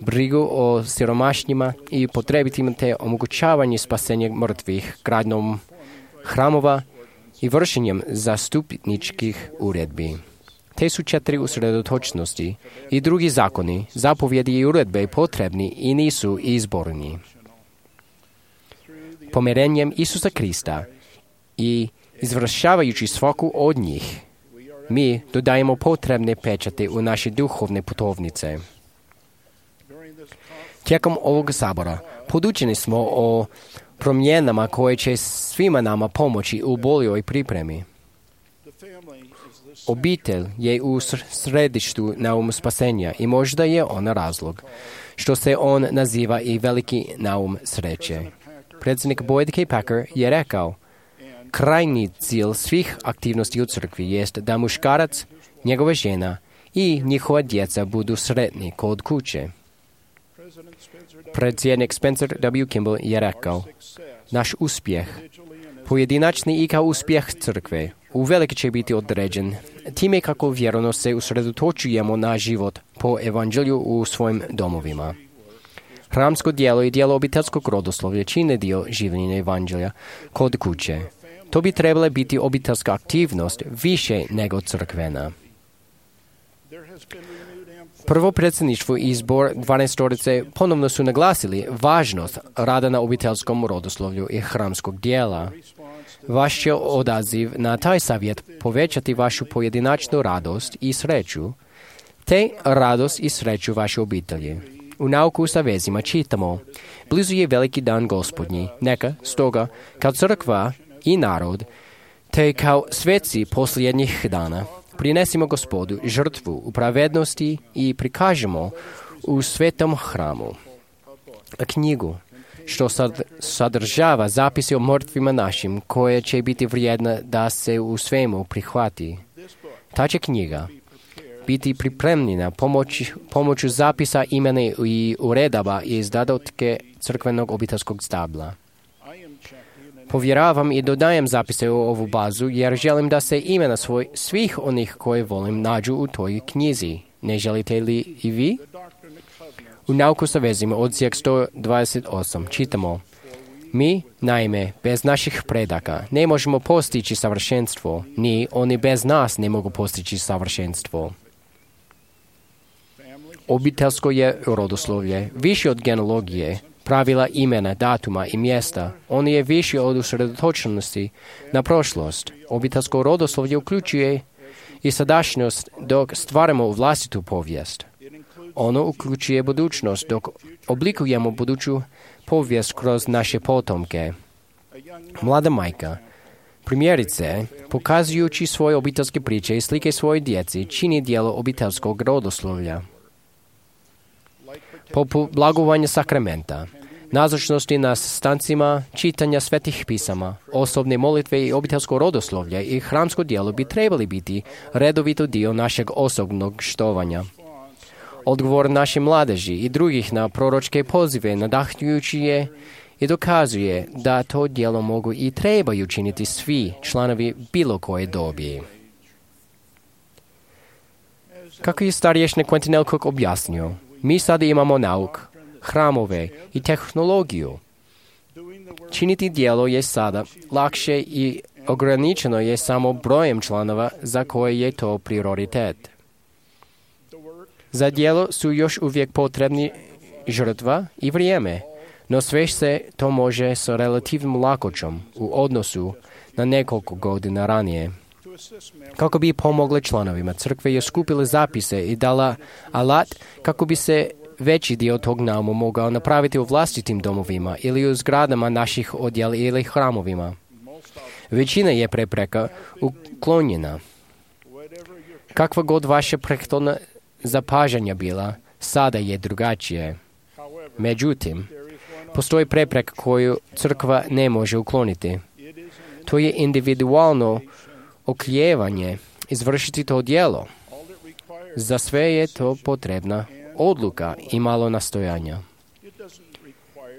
brigu o siromašnjima i potrebitima te omogućavanje spasenja mrtvih gradnjom hramova i vršenjem zastupničkih uredbi. Te su 4 usredotočnosti i drugi zakoni, zapovjedi i uredbe potrebni i nisu izborni. Pomirenjem Isusa Krista i izvršavajući svaku od njih, mi dodajemo potrebne pečate u naše duhovne putovnice. Tijekom ovog sabora podučeni smo o promjenama koje će svima nama pomoći u boljoj pripremi. Obitelj je u središtu naum spasenja i možda je on razlog što se on naziva i veliki naum sreće. Predsjednik Boyd K. Packer je rekao: krajnji cilj svih aktivnosti u crkvi jest da muškarac, njegova žena i njihova djeca budu sretni kod kuće. Predsjednik Spencer W. Kimball je rekao: naš uspjeh, pojedinačni i kao uspjeh crkve, uvelike će biti određen time kako vjerno se usredotočujemo na život po evanđelju u svojim domovima. Hramsko djelo i djelo obiteljskog rodoslovlja čine dio življenja evanđelja kod kuće. To bi trebala biti obiteljska aktivnost više nego crkvena. Prvo predsjedništvo i zbor 12 ponovno su naglasili važnost rada na obiteljskom rodoslovlju i hramskog dijela. Vaš će odaziv na taj savjet povećati vašu pojedinačnu radost i sreću, te radost i sreću vaše obitelji. U nauku sa vezima čitamo: blizu je veliki dan Gospodnji, neka stoga kao crkva i narod, te kao sveci posljednjih dana, prinesimo Gospodu žrtvu u pravednosti i prikažemo u svetom hramu knjigu što sadržava zapise o mrtvima našim, koje će biti vrijedna da se u svemu prihvati. Ta će knjiga biti pripremljena pomoću zapisa imena i uredaba iz datotke crkvenog obiteljskog stabla. Povjeravam i dodajem zapise u ovu bazu jer želim da se imena svih onih koje volim nađu u toj knjizi. Ne želite li i vi? U nauku sa vezima odsjek 128 čitamo: Mi, naime, bez naših predaka ne možemo postići savršenstvo, ni oni bez nas ne mogu postići savršenstvo. Obiteljsko je rodoslovlje više od genealogije, pravila imena, datuma i mjesta. On je više od usredotočenosti na prošlost. Obiteljsko rodoslovlje uključuje i sadašnjost dok stvaramo vlastitu povijest. Ono uključuje budućnost dok oblikujemo buduću povijest kroz naše potomke. Mlada majka, primjerice, pokazujući svoje obiteljske priče i slike svoje djeci, čini dijelo obiteljskog rodoslovlja. Poput blagovanja sakramenta, nazočnosti na sastancima, čitanja svetih pisama, osobne molitve i obiteljsko rodoslovlje i hramsko djelo bi trebali biti redovito dio našeg osobnog štovanja. Odgovor naše mladeži i drugih na proročke pozive nadahnjujući je i dokazuje da to djelo mogu i trebaju činiti svi članovi bilo koje dobi. Kako je starješnik Quentin L. Cook objasnio, mi sada imamo nauk, hramove i tehnologiju. Činiti djelo je sada lakše i ograničeno je samo brojem članova za koje je to prioritet. Za djelo su još uvijek potrebni žrtva i vrijeme, no sve se to može s relativnom lakoćom u odnosu na nekoliko godina ranije. Kako bi pomogli članovima crkve je skupili zapise i dala alat kako bi se veći dio tog nauma mogao napraviti u vlastitim domovima ili u zgradama naših odjela ili hramovima. Većina je prepreka uklonjena. Kakva god vaša prethodna zapažanja bila, sada je drugačije. Međutim, postoji prepreka koju crkva ne može ukloniti. To je individualno oklijevanje izvršiti to djelo. Za sve je to potrebna odluka i malo nastojanja.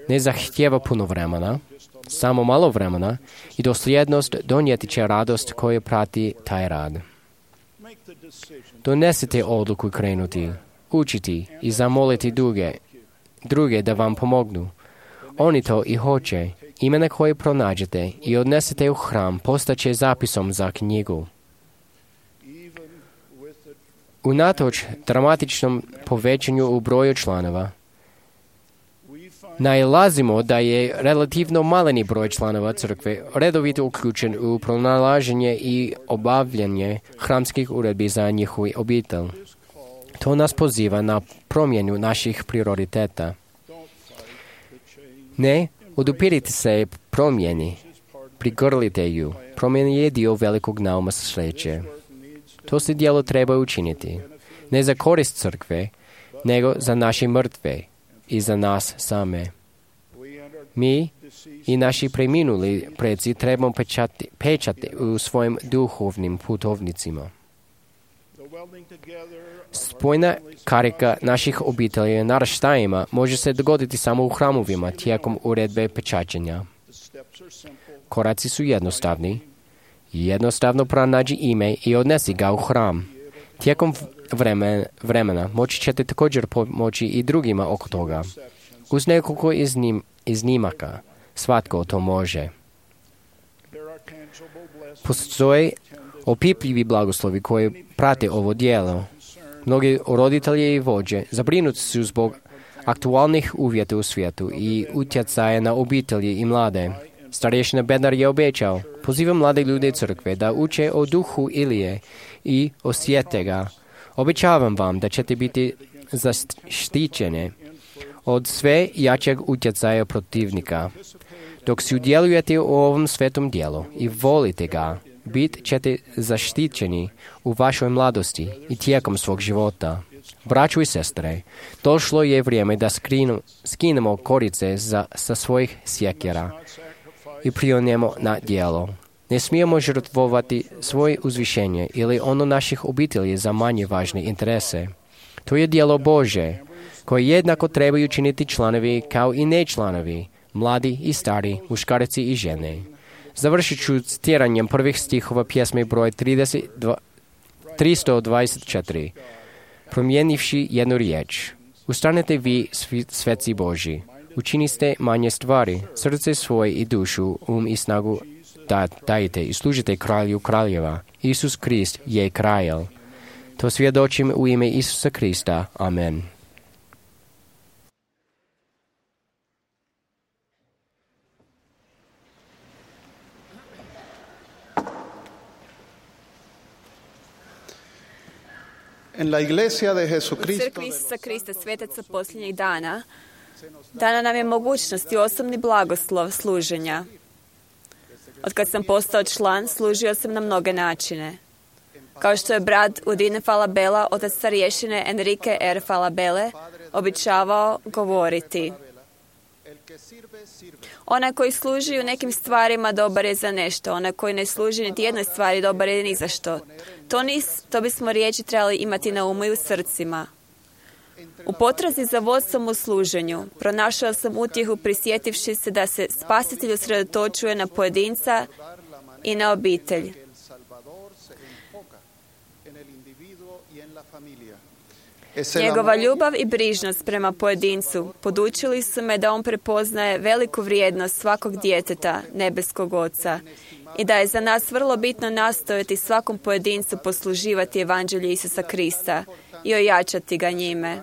Ne zahtijeva puno vremena, samo malo vremena i dosljednost donijeti će radost koja prati taj rad. Donesite odluku krenuti, učiti i zamoliti druge da vam pomognu. Oni to i hoće. Imena koje pronađete i odnesete u hram postaće zapisom za knjigu. Unatoč dramatičnom povećanju u broju članova, nailazimo da je relativno maleni broj članova crkve redovito uključen u pronalaženje i obavljanje hramskih uredbi za njihovu obitelj. To nas poziva na promjenu naših prioriteta. Ne odupirite se promjeni, prigrlite ju. Promjena je dio velikog nauma sreće. To se djelo treba učiniti, ne za korist crkve, nego za naše mrtve i za nas same. Mi i naši preminuli preci trebamo pečati u svojim duhovnim putovnicima. Spojna karika naših obitelji naraštajima može se dogoditi samo u hramovima tijekom uredbe pečaćenja. Koraci su jednostavni. Jednostavno pronađi ime i odnesi ga u hram. Tijekom vremena moći ćete također pomoći i drugima oko toga. Uz nekoliko iznimaka, svatko to može. Postoje opipljivi blagoslovi koji prate ovo djelo. Mnogi roditelji i vođe zabrinuti su zbog aktualnih uvjeta u svijetu i utjecaja na obitelji i mlade. Starješina Bednar je obećao, pozivam mlade ljude crkve da uče o duhu Ilije i osjete ga. Obećavam vam da ćete biti zaštićene od sve jačeg utjecaja protivnika. Dok sudjelujete u ovom svetom dijelu i volite ga, bit ćete zaštićeni u vašoj mladosti i tijekom svog života. Braćo i sestre, došlo je vrijeme da skinemo korice sa svojih sjekira i prionemo na djelo. Ne smijemo žrtvovati svoje uzvišenje ili ono naših obitelji za manje važne interese. To je djelo Bože, koje jednako trebaju činiti članovi kao i nečlanovi, mladi i stari, muškarci i žene. Završit ću citiranjem prvih stihova pjesme broj 324. Promijenivši jednu riječ. Ustanete vi, sveci Boži. Učini ste manje stvari, srce svoje i dušu, i snagu dajte i služite kralju kraljeva. Isus Krist je kralj. To svjedočim u ime Isusa Krista. Amen. En la iglesia de U Jesucristo, crkvi Isusa Krista, svetaca posljednjih dana, dana nam je mogućnost i osobni blagoslov služenja. Od kad sam postao član, služio sam na mnoge načine. Kao što je brat Udine Falabella, otac starješine Enrique R. Falabelle, običavao govoriti: onaj koji služi u nekim stvarima dobar je za nešto, onaj koji ne služi niti jednoj stvari dobar je ni za što. To bismo riječi trebali imati na umu i u srcima. U potrazi za vodstvom u služenju pronašao sam utjehu prisjetivši se da se Spasitelj usredotočuje na pojedinca i na obitelj. Njegova ljubav i brižnost prema pojedincu podučili su me da on prepoznaje veliku vrijednost svakog djeteta nebeskog Oca i da je za nas vrlo bitno nastojati svakom pojedincu posluživati evanđelju Isusa Krista i ojačati ga njime.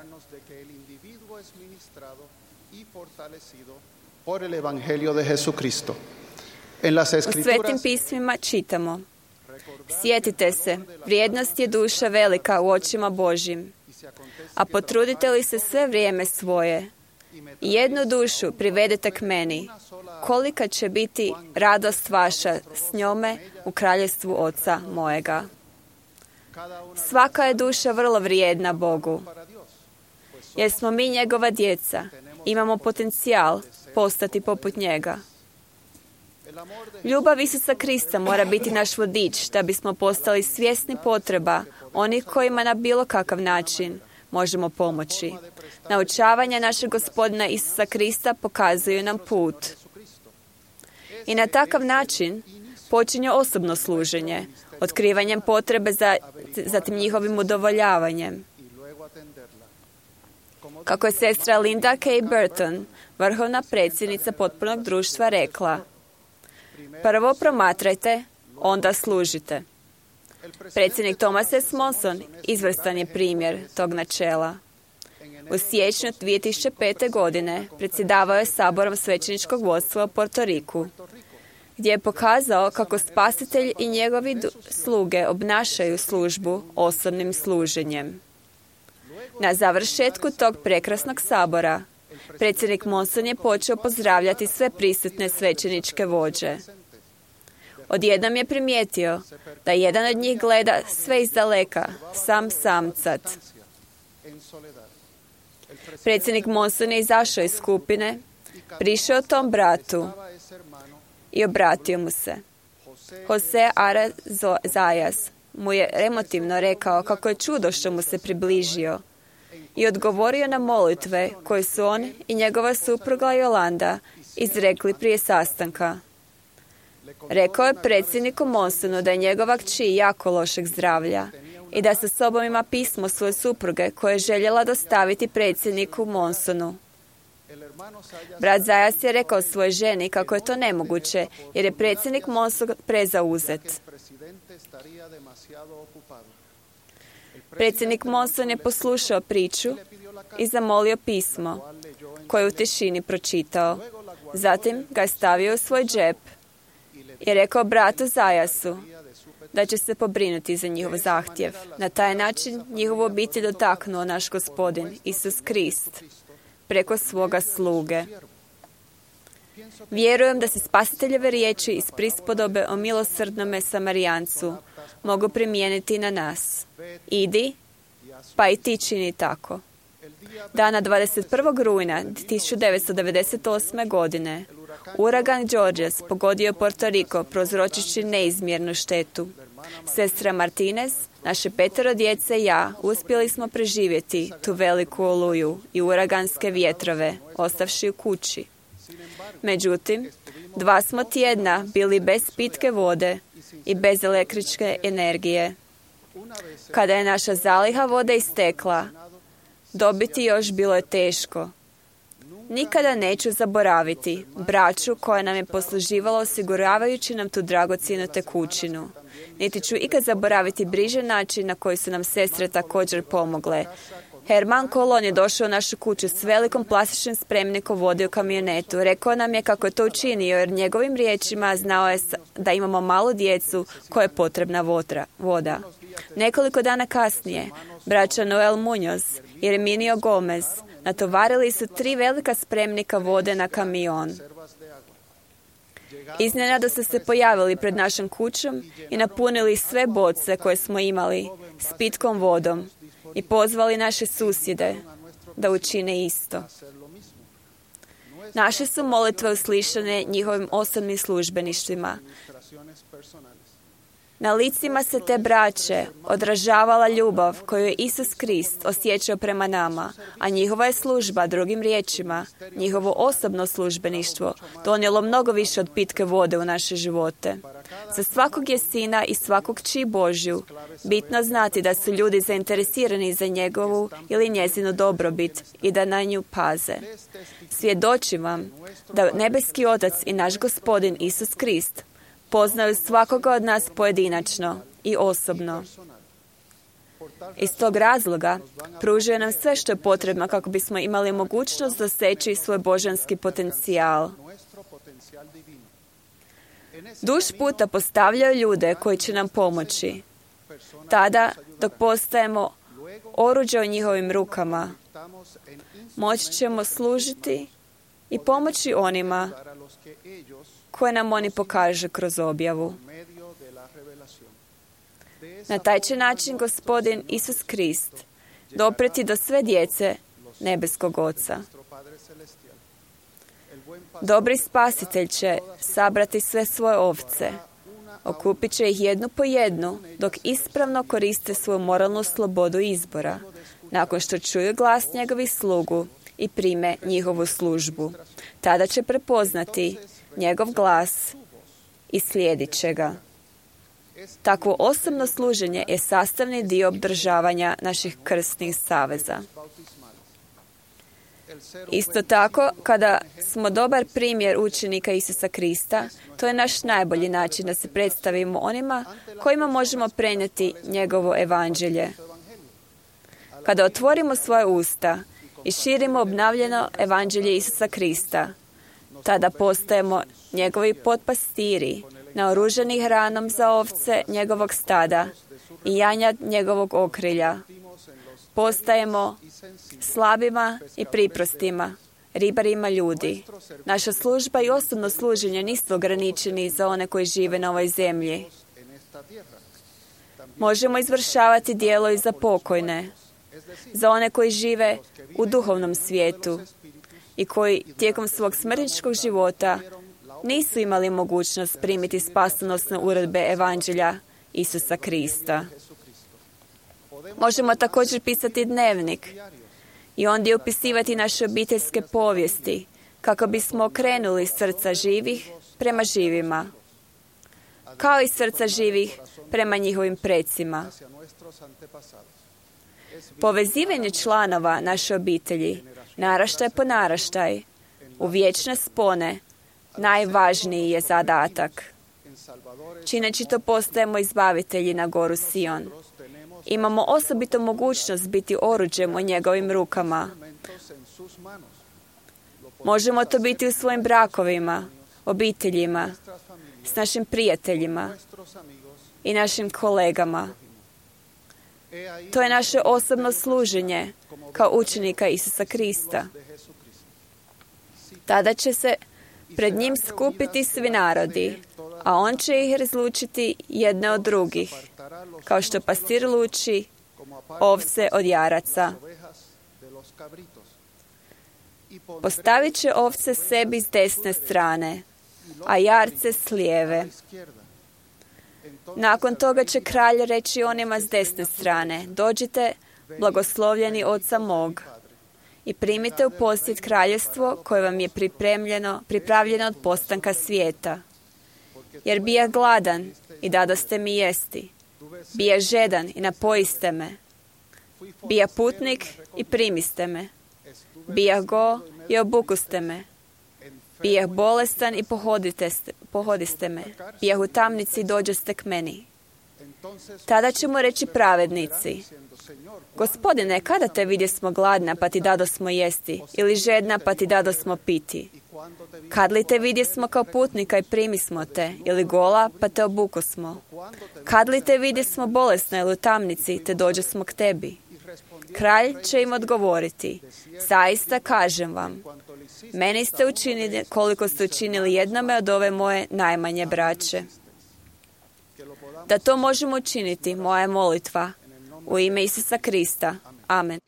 U Svetim pismima čitamo: sjetite se, vrijednost je duša velika u očima Božjim, a potrudite li se sve vrijeme svoje i jednu dušu privedete k meni, kolika će biti radost vaša s njome u kraljevstvu Oca mojega. Svaka je duša vrlo vrijedna Bogu. Jer smo mi njegova djeca, imamo potencijal postati poput njega. Ljubav Isusa Krista mora biti naš vodič da bismo postali svjesni potreba onih kojima na bilo kakav način možemo pomoći. Naučavanja našeg Gospodina Isusa Krista pokazuju nam put. I na takav način počinje osobno služenje, otkrivanjem potrebe zatim njihovim udovoljavanjem. Kako je sestra Linda K. Burton, vrhovna predsjednica Potpunog društva, rekla: prvo promatrajte, onda služite. Predsjednik Thomas S. Monson izvrstan je primjer tog načela. U siječnju 2005. godine predsjedavao je saborom svećeničkog vodstva u Porto Riku, gdje je pokazao kako Spasitelj i njegovi sluge obnašaju službu osobnim služenjem. Na završetku tog prekrasnog sabora, predsjednik Monson je počeo pozdravljati sve prisutne svećeničke vođe. Odjednom je primijetio da jedan od njih gleda sve izdaleka, samcat. Predsjednik Monson je izašao iz skupine, prišao tom bratu i obratio mu se. Jose Ara Zayas mu je emotivno rekao kako je čudo što mu se približio i odgovorio na molitve koje su on i njegova supruga Yolanda izrekli prije sastanka. Rekao je predsjedniku Monsonu da je njegova kći jako lošeg zdravlja i da sa sobom ima pismo svoje supruge koje je željela dostaviti predsjedniku Monsonu. Brat Zajas je rekao svojoj ženi kako je to nemoguće jer je predsjednik Monson prezauzet. Predsjednik Monson je poslušao priču i zamolio pismo koje je u tišini pročitao. Zatim ga je stavio u svoj džep i rekao bratu Zajasu da će se pobrinuti za njihov zahtjev. Na taj način njihovu obitelj dotaknuo naš Gospodin Isus Krist preko svoga sluge. Vjerujem da se Spasiteljeve riječi iz prispodobe o milosrdnome Samarijancu mogu primijeniti na nas. Idi, pa i ti čini tako. Dana 21. rujna 1998. godine uragan Georges pogodio Porto Rico prouzročivši neizmjernu štetu. Sestra Martinez, naše 5 djece i ja uspjeli smo preživjeti tu veliku oluju i uraganske vjetrove, ostavši u kući. Međutim, 2 smo tjedna bili bez pitke vode i bez električne energije. Kada je naša zaliha vode istekla, dobiti još bilo je teško. Nikada neću zaboraviti braću koja nam je posluživala osiguravajući nam tu dragocjenu tekućinu. Niti ću ikad zaboraviti brižan način na koji su nam sestre također pomogle. Herman Kolon je došao u našu kuću s velikom plastičnim spremnikom vode u kamionetu. Rekao nam je kako je to učinio, jer njegovim riječima znao je da imamo malu djecu koja je potrebna voda. Nekoliko dana kasnije, braća Noel Munoz i Herminio Gomez natovarili su 3 velika spremnika vode na kamion. Iznenada su se pojavili pred našom kućom i napunili sve boce koje smo imali s pitkom vodom i pozvali naše susjede da učine isto. Naše su molitve uslišane njihovim osobnim službeništvima. Na licima se te braće odražavala ljubav koju je Isus Krist osjećao prema nama, a njihova je služba, drugim riječima, njihovo osobno službeništvo, donijelo mnogo više od pitke vode u naše živote. Za svakog je sina i svakog kći Božju bitno znati da su ljudi zainteresirani za njegovu ili njezinu dobrobit i da na nju paze. Svjedočim vam da nebeski Otac i naš Gospodin Isus Krist poznaju svakoga od nas pojedinačno i osobno. Iz tog razloga pružuje nam sve što je potrebno kako bismo imali mogućnost doseći svoj božanski potencijal. Duž puta postavljaju ljude koji će nam pomoći. Tada, dok postajemo oruđe u njihovim rukama, moći ćemo služiti i pomoći onima koje nam oni pokaže kroz objavu. Na taj će način Gospodin Isus Krist dopreti do sve djece nebeskog Oca. Dobri spasitelj će sabrati sve svoje ovce, okupit će ih jednu po jednu, dok ispravno koriste svoju moralnu slobodu izbora, nakon što čuju glas njegovih slugu i prime njihovu službu. Tada će prepoznati njegov glas i slijedit će ga. Takvo osobno služenje je sastavni dio obdržavanja naših krstnih saveza. Isto tako, kada smo dobar primjer učenika Isusa Krista, to je naš najbolji način da se predstavimo onima kojima možemo prenijeti njegovo evanđelje. Kada otvorimo svoje usta i širimo obnavljeno evanđelje Isusa Krista, tada postajemo njegovi potpastiri, naoružani hranom za ovce njegovog stada i janjad njegovog okrilja. Postajemo slabima i priprostima, ribarima ljudi. Naša služba i osobno služenje nisu ograničeni za one koji žive na ovoj zemlji. Možemo izvršavati djelo i za pokojne, za one koji žive u duhovnom svijetu i koji tijekom svog smrtničkog života nisu imali mogućnost primiti spasonosne uredbe evanđelja Isusa Krista. Možemo također pisati dnevnik i ondje upisivati naše obiteljske povijesti kako bismo okrenuli srca živih prema živima, kao i srca živih prema njihovim precima. Povezivanje članova naše obitelji, naraštaj po naraštaj, u vječne spone, najvažniji je zadatak. Čineći to postajemo izbavitelji na goru Sion. Imamo osobitu mogućnost biti oruđem u njegovim rukama. Možemo to biti u svojim brakovima, obiteljima, s našim prijateljima i našim kolegama. To je naše osobno služenje kao učenika Isusa Krista. Tada će se pred njim skupiti svi narodi, a on će ih razlučiti jedne od drugih, kao što pastir luči ovce od jaraca. Postavit će ovce sebi s desne strane, a jarce s lijeve. Nakon toga će kralj reći onima s desne strane: dođite, blagoslovljeni Oca mog, i primite u posjed kraljevstvo koje vam je pripravljeno od postanka svijeta. Jer bija gladan i dadoste mi jesti, bija žedan i napojiste me, bija putnik i primiste me, bija go i obukuste me. Bijeh bolestan i pohodiste me. Bijeh u tamnici i dođoste k meni. Tada ćemo reći pravednici: Gospodine, kada te vidjesmo gladna, pa ti dadosmo jesti, ili žedna, pa ti dadosmo piti? Kad li te vidjesmo kao putnika i primismo te, ili gola, pa te obukosmo? Kad li te vidjesmo bolesna ili u tamnici, te dođosmo k tebi? Kralj će im odgovoriti: zaista kažem vam, meni ste učinili koliko ste učinili jednome od ove moje najmanje braće. Da to možemo učiniti, moja je molitva. U ime Isusa Krista. Amen.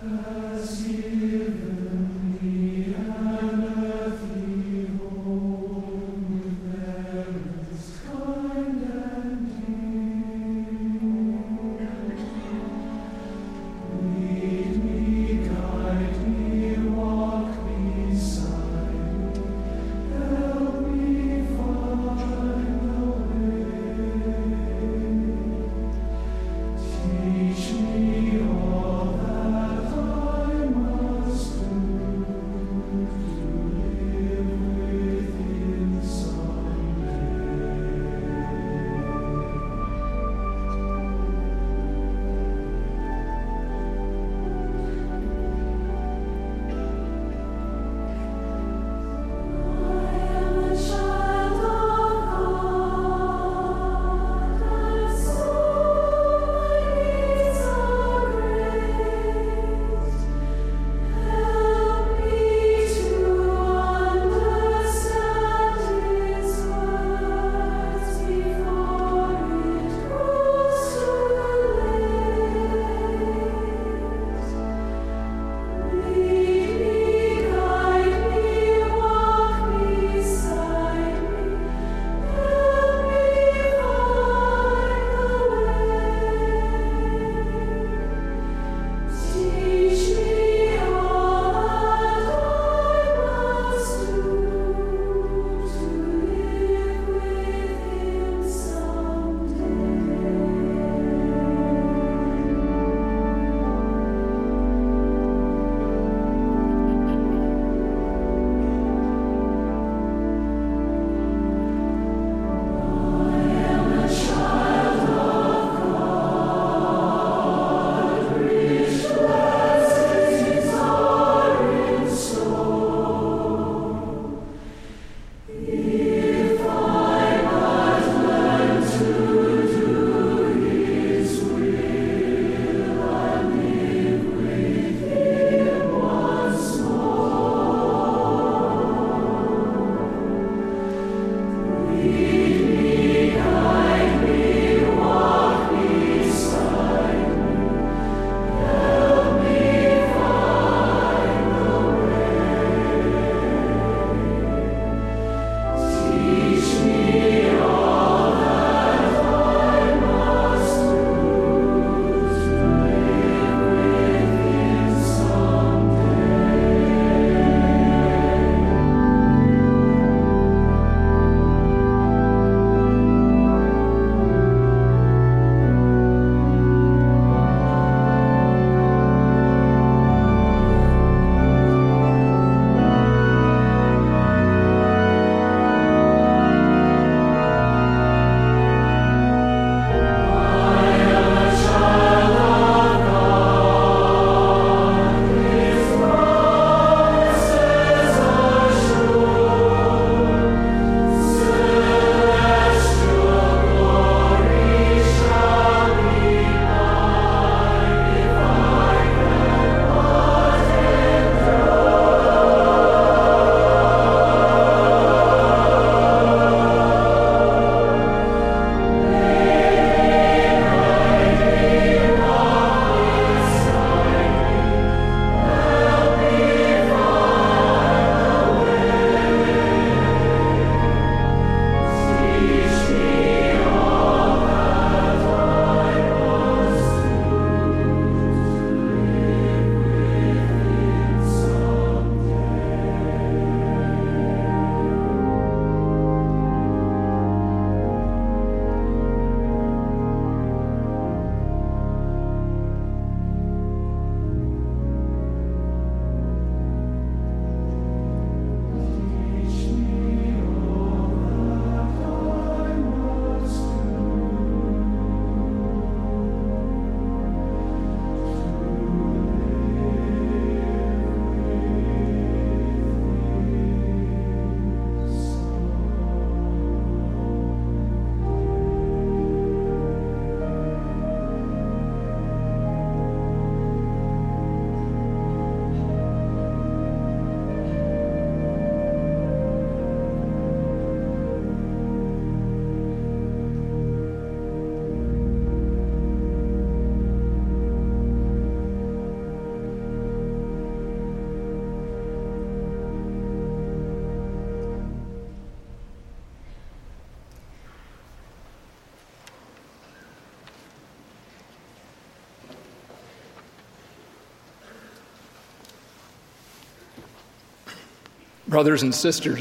Has given me an earthly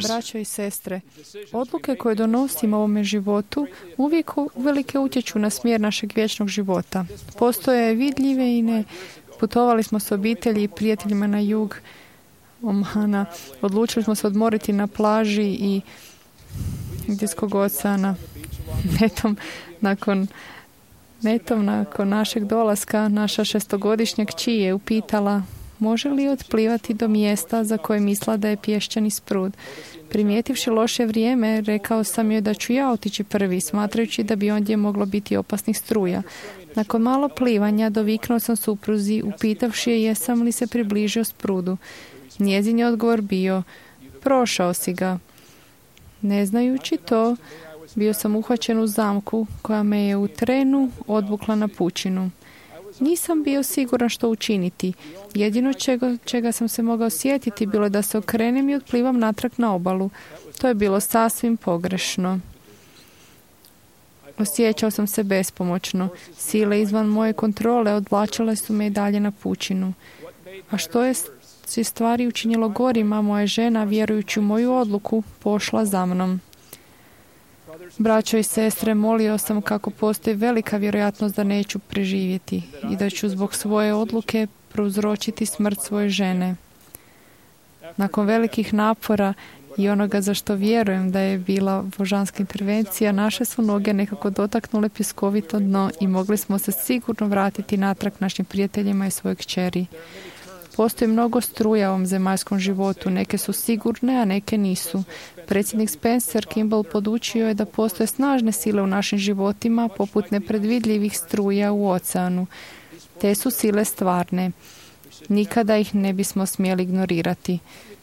Braćo i sestre, odluke koje donosimo u ovome životu uvijek uvelike utječu na smjer našeg vječnog života. Postoje vidljive i ne. Putovali smo s obitelji i prijateljima na jug Omana. Odlučili smo se odmoriti na plaži i Indijskog oceana. Netom nakon našeg dolaska, naša 6-godišnja kći je upitala može li otplivati do mjesta za koje misla da je pješčani sprud. Primijetivši loše vrijeme, rekao sam joj da ću ja otići prvi, smatrajući da bi ondje moglo biti opasnih struja. Nakon malo plivanja doviknuo sam supruzi, upitavši je jesam li se približio sprudu. Njezin je odgovor bio, prošao si ga. Ne znajući to, bio sam uhvaćen u zamku koja me je u trenu odvukla na pučinu. Nisam bio siguran što učiniti. Jedino čega sam se mogao sjetiti bilo je da se okrenem i otplivam natrag na obalu. To je bilo sasvim pogrešno. Osjećao sam se bespomoćno. Sile izvan moje kontrole odvlačile su me i dalje na pučinu. A što je stvari učinilo gorima, moja žena, vjerujući u moju odluku, pošla za mnom. Braćo i sestre, molio sam kako postoji velika vjerojatnost da neću preživjeti i da ću zbog svoje odluke prouzročiti smrt svoje žene. Nakon velikih napora i onoga za što vjerujem da je bila božanska intervencija, naše su noge nekako dotaknule pjeskovito dno i mogli smo se sigurno vratiti natrag našim prijateljima i svojoj kćeri. Postoji mnogo struja u ovom zemaljskom životu. Neke su sigurne, a neke nisu. Predsjednik Spencer Kimball podučio je da postoje snažne sile u našim životima, poput nepredvidljivih struja u oceanu. Te su sile stvarne. Nikada ih ne bismo smjeli ignorirati.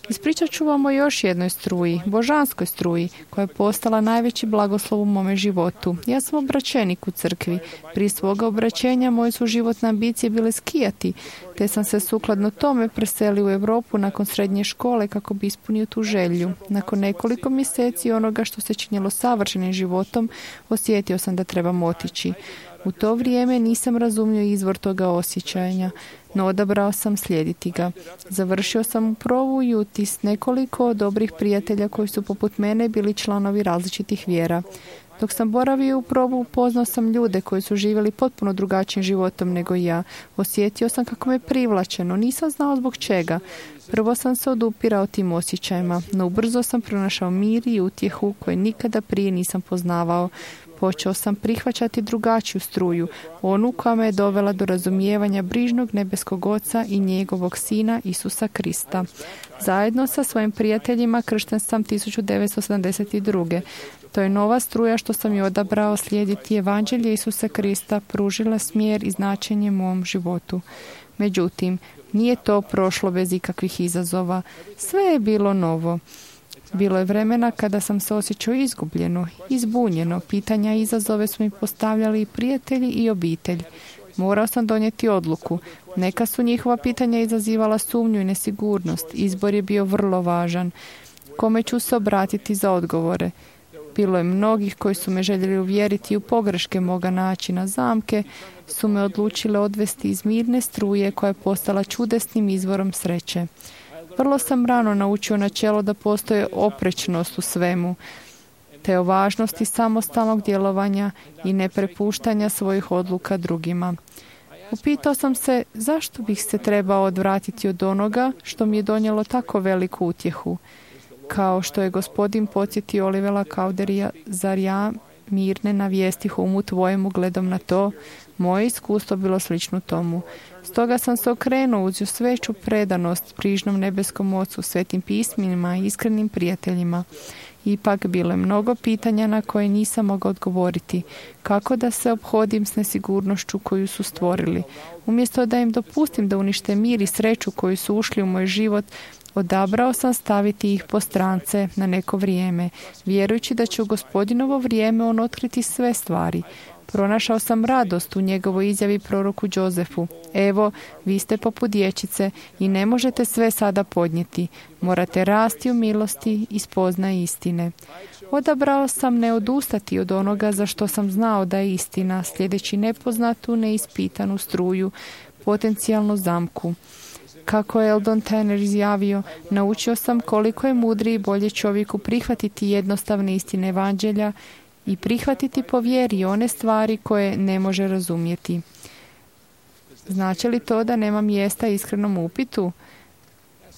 Ispričat ću vam o još jednoj struji, božanskoj struji, koja je postala najveći blagoslov u mome životu. Ja sam obraćenik u crkvi. Prije svoga obraćenja moje su životne ambicije bile skijati, te sam se sukladno tome preselio u Europu nakon srednje škole kako bi ispunio tu želju. Nakon nekoliko mjeseci onoga što se činilo savršenim životom, osjetio sam da trebam otići. U to vrijeme nisam razumio izvor toga osjećanja, no odabrao sam slijediti ga. Završio sam u Provu i Uti s nekoliko dobrih prijatelja koji su poput mene bili članovi različitih vjera. Dok sam boravio u Provu, upoznao sam ljude koji su živjeli potpuno drugačijim životom nego ja. Osjetio sam kako me privlačeno, nisam znao zbog čega. Prvo sam se odupirao tim osjećajima, no ubrzo sam pronašao mir i utjehu koje nikada prije nisam poznavao. Počeo sam prihvaćati drugačiju struju, onu koja me je dovela do razumijevanja brižnog nebeskog Oca i njegovog Sina Isusa Krista. Zajedno sa svojim prijateljima kršten sam 1972. To je nova struja što sam je odabrao slijediti evanđelje Isusa Krista, pružila smjer i značenje mom životu. Međutim, nije to prošlo bez ikakvih izazova. Sve je bilo novo. Bilo je vremena kada sam se osjećao izgubljeno, izbunjeno. Pitanja i izazove su mi postavljali i prijatelji i obitelj. Morao sam donijeti odluku. Neka su njihova pitanja izazivala sumnju i nesigurnost. Izbor je bio vrlo važan. Kome ću se obratiti za odgovore? Bilo je mnogih koji su me željeli uvjeriti u pogreške moga načina. Zamke su me odlučile odvesti iz mirne struje koja je postala čudesnim izvorom sreće. Vrlo sam rano naučio načelo da postoje oprečnost u svemu, te o važnosti samostalnog djelovanja i neprepuštanja svojih odluka drugima. Upitao sam se zašto bih se trebao odvratiti od onoga što mi je donijelo tako veliku utjehu. Kao što je gospodin podsjetio Olivera Cowderija, zar ja mirne navijestih umu tvojemu gledom na to, moje iskustvo bilo slično tomu. Stoga sam se okrenuo uz još veću predanost prižnom nebeskom Ocu, svetim pismima i iskrenim prijateljima. Ipak bilo je mnogo pitanja na koje nisam mogao odgovoriti. Kako da se ophodim s nesigurnošću koju su stvorili? Umjesto da im dopustim da unište mir i sreću koju su ušli u moj život, odabrao sam staviti ih po strance na neko vrijeme, vjerujući da će u Gospodinovo vrijeme on otkriti sve stvari. Pronašao sam radost u njegovoj izjavi proroku Jozefu. Evo, vi ste poput dječice i ne možete sve sada podnijeti. Morate rasti u milosti i spoznaje istine. Odabrao sam ne odustati od onoga za što sam znao da je istina, sljedeći nepoznatu, neispitanu struju, potencijalnu zamku. Kako je Eldon Tanner izjavio, naučio sam koliko je mudrije i bolje čovjeku prihvatiti jednostavne istine evanđelja i prihvatiti po vjeri one stvari koje ne može razumjeti. Znači li to da nema mjesta iskrenom upitu?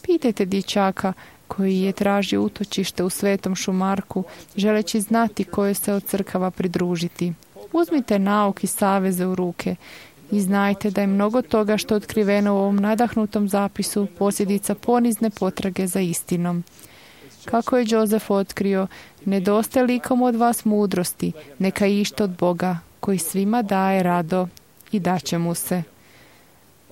Pitajte dječaka koji je tražio utočište u Svetom Šumarku, želeći znati kojoj se od crkava pridružiti. Uzmite nauk i saveze u ruke i znajte da je mnogo toga što je otkriveno u ovom nadahnutom zapisu posljedica ponizne potrage za istinom. Kako je Joseph otkrio, nedostaje likom od vas mudrosti, neka ište od Boga, koji svima daje rado i daće mu se.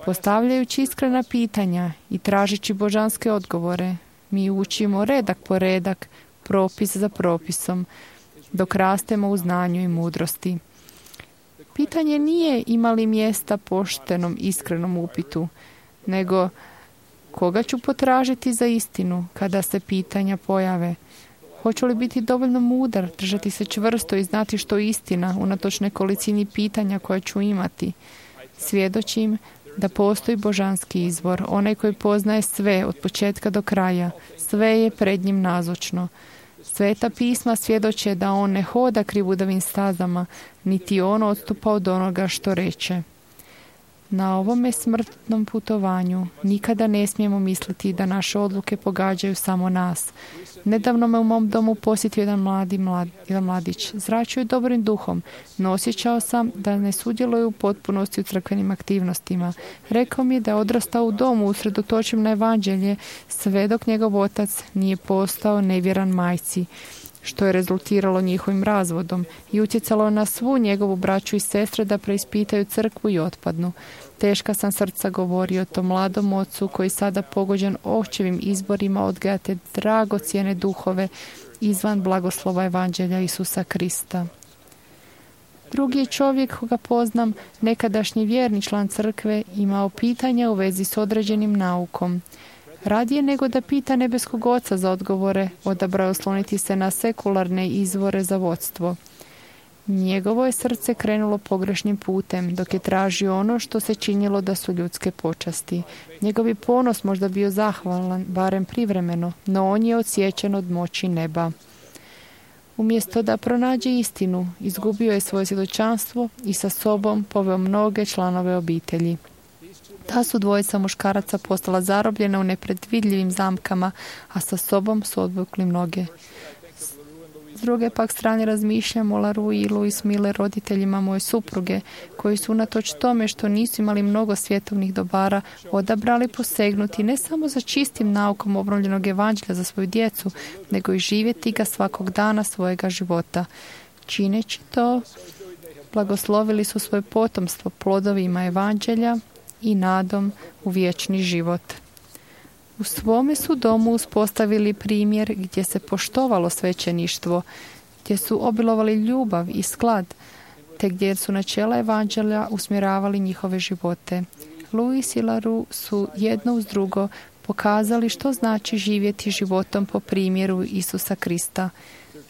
Postavljajući iskrena pitanja i tražeći božanske odgovore, mi učimo redak po redak, propis za propisom, dok rastemo u znanju i mudrosti. Pitanje nije ima li mjesta poštenom, iskrenom upitu, nego koga ću potražiti za istinu kada se pitanja pojave. Hoću li biti dovoljno mudar, držati se čvrsto i znati što je istina, unatoč nekolicini pitanja koje ću imati. Svjedočim da postoji božanski izvor, onaj koji poznaje sve od početka do kraja. Sve je pred njim nazočno. Sveta pisma svjedoče da on ne hoda krivudavim stazama, niti on odstupa od onoga što reče. Na ovome smrtnom putovanju nikada ne smijemo misliti da naše odluke pogađaju samo nas. Nedavno me u mom domu posjetio jedan mladić. Zračio je dobrim duhom, no osjećao sam da ne sudjeluje u potpunosti u crkvenim aktivnostima. Rekao mi je da je odrastao u domu usredotočen na evanđelje, sve dok njegov otac nije postao nevjeran majci, što je rezultiralo njihovim razvodom i utjecalo na svu njegovu braću i sestre da preispitaju crkvu i otpadnu. Teška sam srca govorio o tom mladom ocu koji sada pogođen očevim izborima odgaja te dragocjene duhove izvan blagoslova evanđelja Isusa Krista. Drugi je čovjek koga poznam, nekadašnji vjerni član crkve, imao pitanja u vezi s određenim naukom. Radije nego da pita nebeskog oca za odgovore, odabrao je osloniti se na sekularne izvore za vodstvo. Njegovo je srce krenulo pogrešnim putem, dok je tražio ono što se činilo da su ljudske počasti. Njegov je ponos možda bio zahvalan, barem privremeno, no on je odsječen od moći neba. Umjesto da pronađe istinu, izgubio je svoje svjedočanstvo i sa sobom poveo mnoge članove obitelji. Ta su dvojica muškaraca postala zarobljena u nepredvidljivim zamkama, a sa sobom su odvukli mnoge. S druge pak strane razmišljam o Laru i Louis Miller, roditeljima moje supruge, koji su unatoč tome što nisu imali mnogo svjetovnih dobara, odabrali posegnuti ne samo za čistim naukom obnovljenog evanđelja za svoju djecu, nego i živjeti ga svakog dana svojega života. Čineći to, blagoslovili su svoje potomstvo plodovima evanđelja i nadom u vječni život. U svome su domu uspostavili primjer gdje se poštovalo svećeništvo, gdje su obilovali ljubav i sklad, te gdje su načela evanđelja usmjeravali njihove živote. Louis i Laru su jedno uz drugo pokazali što znači živjeti životom po primjeru Isusa Krista.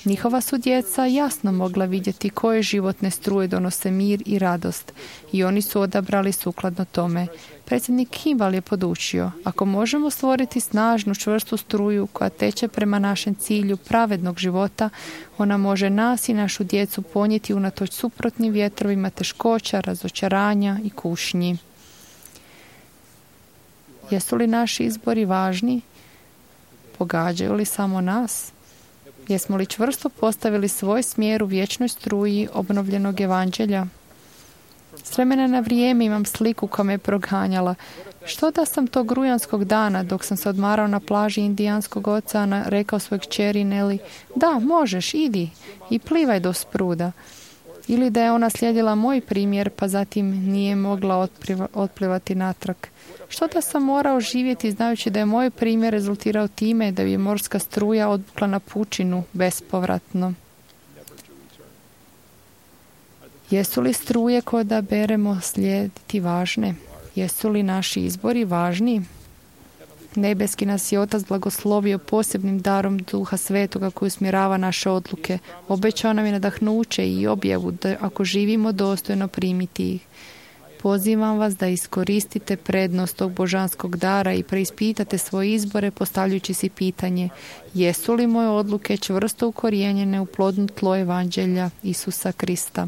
Njihova su djeca jasno mogla vidjeti koje životne struje donose mir i radost i oni su odabrali sukladno tome. Predsjednik Kimball je podučio, ako možemo stvoriti snažnu, čvrstu struju koja teče prema našem cilju pravednog života, ona može nas i našu djecu ponijeti unatoč suprotnim vjetrovima teškoća, razočaranja i kušnji. Jesu li naši izbori važni? Pogađaju li samo nas? Jesmo li čvrsto postavili svoj smjer u vječnoj struji obnovljenog evanđelja? S vremena na vrijeme imam sliku koja me proganjala. Što da sam tog rujanskog dana, dok sam se odmarao na plaži Indijanskog oceana, rekao svojoj kćeri Nelly, da, možeš, idi i plivaj do spruda. Ili da je ona slijedila moj primjer, pa zatim nije mogla otplivati natrag. Što da sam morao živjeti znajući da je moj primjer rezultirao time da je morska struja odbukla na pučinu bespovratno? Jesu li struje koje da beremo slijediti važne? Jesu li naši izbori važni? Nebeski nas je Otac blagoslovio posebnim darom Duha Svetoga koji usmjerava naše odluke. Obećao nam je nadahnuće i objavu da ako živimo dostojno primiti ih. Pozivam vas da iskoristite prednost tog božanskog dara i preispitate svoje izbore postavljajući si pitanje: jesu li moje odluke čvrsto ukorijenjene u plodno tlo evanđelja Isusa Krista?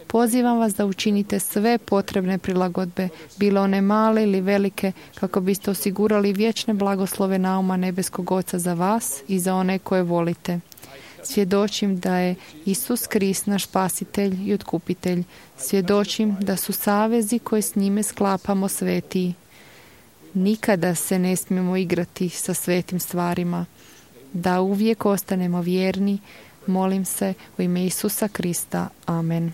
Pozivam vas da učinite sve potrebne prilagodbe, bile one male ili velike, kako biste osigurali vječne blagoslove nauma nebeskog Oca za vas i za one koje volite. Svjedočim da je Isus Krist naš spasitelj i otkupitelj. Svjedočim da su savezi koje s njime sklapamo svetiji. Nikada se ne smijemo igrati sa svetim stvarima. Da uvijek ostanemo vjerni, molim se u ime Isusa Krista. Amen.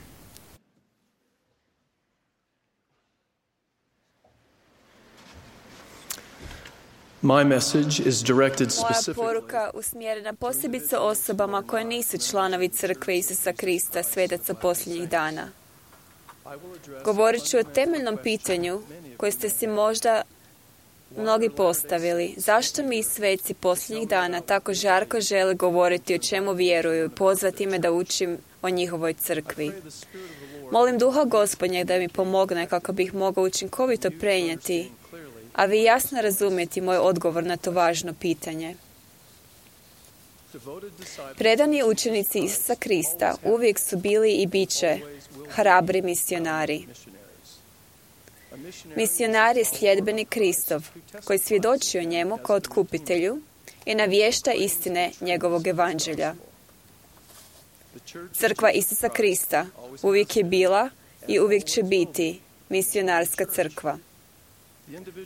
My message is directed Moja specifically poruka usmjerena posebice osobama koje nisu članovi Crkve Isusa Krista, svetaca posljednjih dana. Govorit ću o temeljnom pitanju koje ste si možda mnogi postavili. Zašto mi sveci posljednjih dana tako žarko žele govoriti o čemu vjeruju i pozvati me da učim o njihovoj crkvi? Molim Duha Gospodnjeg da mi pomogne kako bih mogao učinkovito prenijeti, a vi jasno razumijeti moj odgovor na to važno pitanje. Predani učenici Isusa Krista uvijek su bili i bit će hrabri misionari. Misionar je sljedbenik Kristov, koji svjedoči o njemu kao otkupitelju i navješta istine njegovog evanđelja. Crkva Isusa Krista uvijek je bila i uvijek će biti misionarska crkva.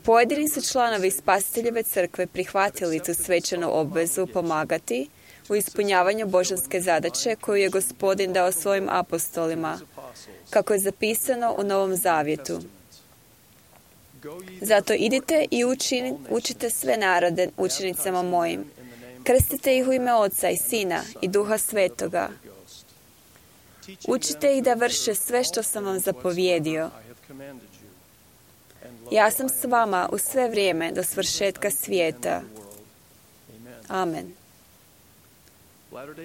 Pojedini su članovi Spasiteljeve crkve prihvatili tu svečanu obvezu pomagati u ispunjavanju božanske zadaće koju je Gospodin dao svojim apostolima, kako je zapisano u Novom Zavjetu. Zato idite i učite sve narode učenicama mojim. Krstite ih u ime Oca i Sina i Duha Svetoga. Učite ih da vrše sve što sam vam zapovjedio. Ja sam s vama u sve vrijeme do svršetka svijeta. Amen.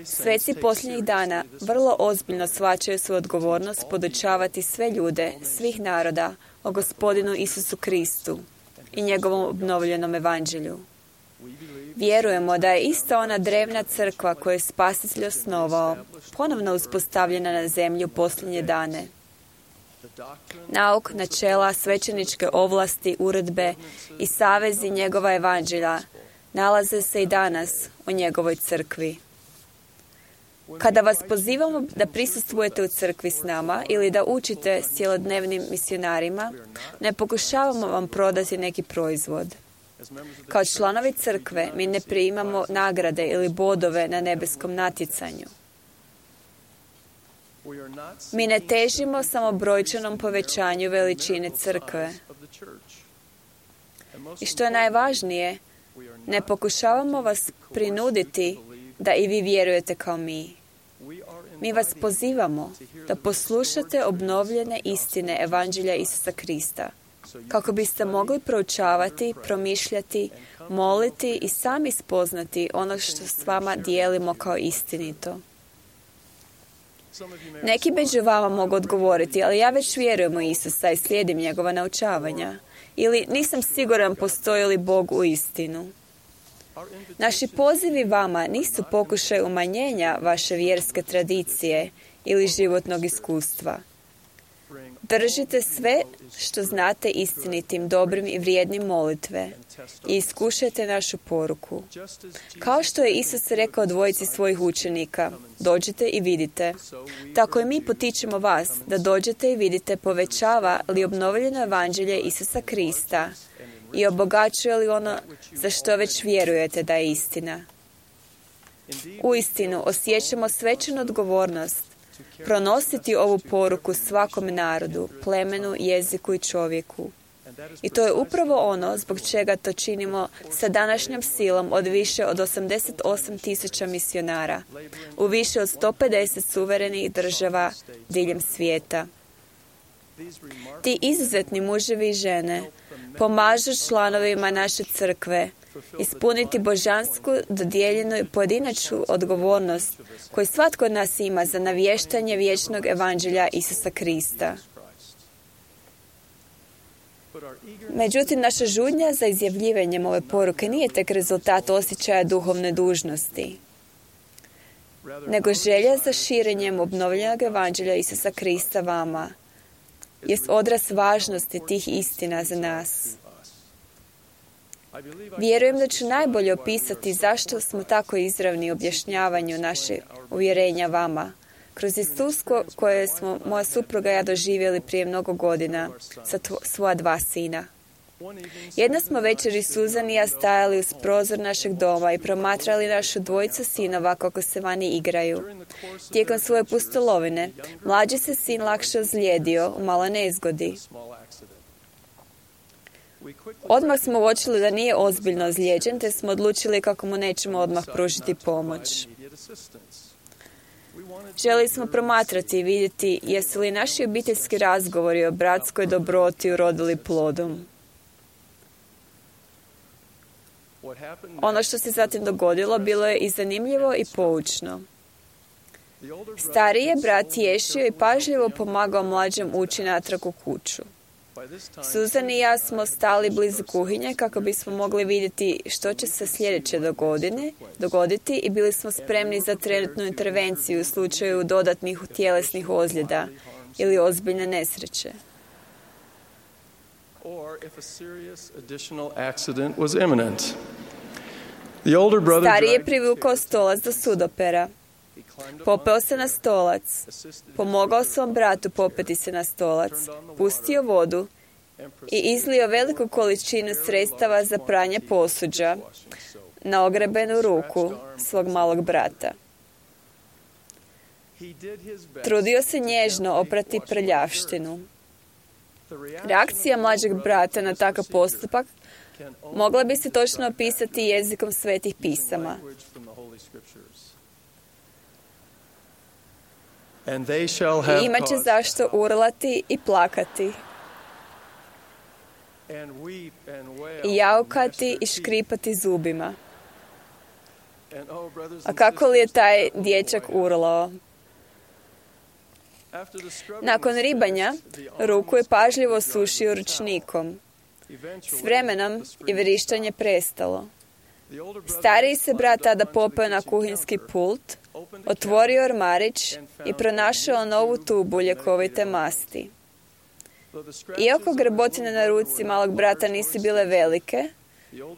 Sveci posljednjih dana vrlo ozbiljno shvaćaju svoju odgovornost podučavati sve ljude, svih naroda, o Gospodinu Isusu Kristu i njegovom obnovljenom evanđelju. Vjerujemo da je ista ona drevna crkva koju je Spasitelj osnovao, ponovno uspostavljena na zemlji u posljednje dane. Nauk, načela, svećeničke ovlasti, uredbe i savezi njegova evanđelja nalaze se i danas u njegovoj crkvi. Kada vas pozivamo da prisustvujete u crkvi s nama ili da učite s cjelodnevnim misionarima, ne pokušavamo vam prodati neki proizvod. Kao članovi crkve mi ne primamo nagrade ili bodove na nebeskom natjecanju. Mi ne težimo samo brojčanom povećanju veličine crkve. I što je najvažnije, ne pokušavamo vas prinuditi da i vi vjerujete kao mi. Mi vas pozivamo da poslušate obnovljene istine evanđelja Isusa Krista, kako biste mogli proučavati, promišljati, moliti i sami spoznati ono što s vama dijelimo kao istinito. Neki među vama mogu odgovoriti, ali ja već vjerujem u Isusa i slijedim njegova naučavanja. Ili nisam siguran postoji li Bog u istinu. Naši pozivi vama nisu pokušaj umanjenja vaše vjerske tradicije ili životnog iskustva. Držite sve što znate istinitim, dobrim i vrijednim molitve i iskušajte našu poruku. Kao što je Isus rekao dvojici svojih učenika, dođite i vidite. Tako i mi potičemo vas da dođete i vidite povećava li obnovljeno evanđelje Isusa Krista i obogaćuje li ono za što već vjerujete da je istina. Uistinu osjećamo svečanu odgovornost pronositi ovu poruku svakom narodu, plemenu, jeziku i čovjeku. I to je upravo ono zbog čega to činimo sa današnjom silom od više od 88,000 misionara u više od 150 suverenih država diljem svijeta. Ti izuzetni muževi i žene pomažu članovima naše crkve ispuniti božansku, dodijeljenu i pojedinačnu odgovornost koju svatko od nas ima za navještanje vječnog evanđelja Isusa Krista. Međutim, naša žudnja za izjavljivanjem ove poruke nije tek rezultat osjećaja duhovne dužnosti, nego želja za širenjem obnovljenog evanđelja Isusa Krista vama jest odraz važnosti tih istina za nas. Vjerujem da ću najbolje opisati zašto smo tako izravni u objašnjavanju naše uvjerenja vama, kroz iskustvo koje smo moja supruga i ja doživjeli prije mnogo godina sa svoja 2 sina. Jedna smo večer Suzan i ja stajali uz prozor našeg doma i promatrali našu 2 sinova kako se vani igraju. Tijekom svoje pustolovine, mlađi se sin lakše ozlijedio u maloj nezgodi. Odmah smo uočili da nije ozbiljno ozlijeđen, te smo odlučili kako mu nećemo odmah pružiti pomoć. Želi smo promatrati i vidjeti jesu li naši obiteljski razgovori o bratskoj dobroti urodili plodom. Ono što se zatim dogodilo bilo je i zanimljivo i poučno. Stariji je brat tješio i pažljivo pomagao mlađem ući natrag u kuću. Suzan i ja smo stali blizu kuhinje kako bismo mogli vidjeti što će se sljedeće dogoditi i bili smo spremni za trenutnu intervenciju u slučaju dodatnih tjelesnih ozljeda ili ozbiljne nesreće. Stariji je privukao stolac do sudopera. Popeo se na stolac, pomogao svom bratu popeti se na stolac, pustio vodu i izlio veliku količinu sredstava za pranje posuđa na ogrebenu ruku svog malog brata. Trudio se nježno oprati prljavštinu. Reakcija mlađeg brata na takav postupak mogla bi se točno opisati jezikom svetih pisama. I imat će zašto urlati i plakati, i jaukati i škripati zubima. A kako li je taj dječak urlao? Nakon ribanja, ruku je pažljivo sušio ručnikom. S vremenom je vrištanje prestalo. Stariji se brat tada popeo na kuhinski pult, otvorio ormarić i pronašao novu tubu ljekovite masti. Iako grbotine na ruci malog brata nisu bile velike,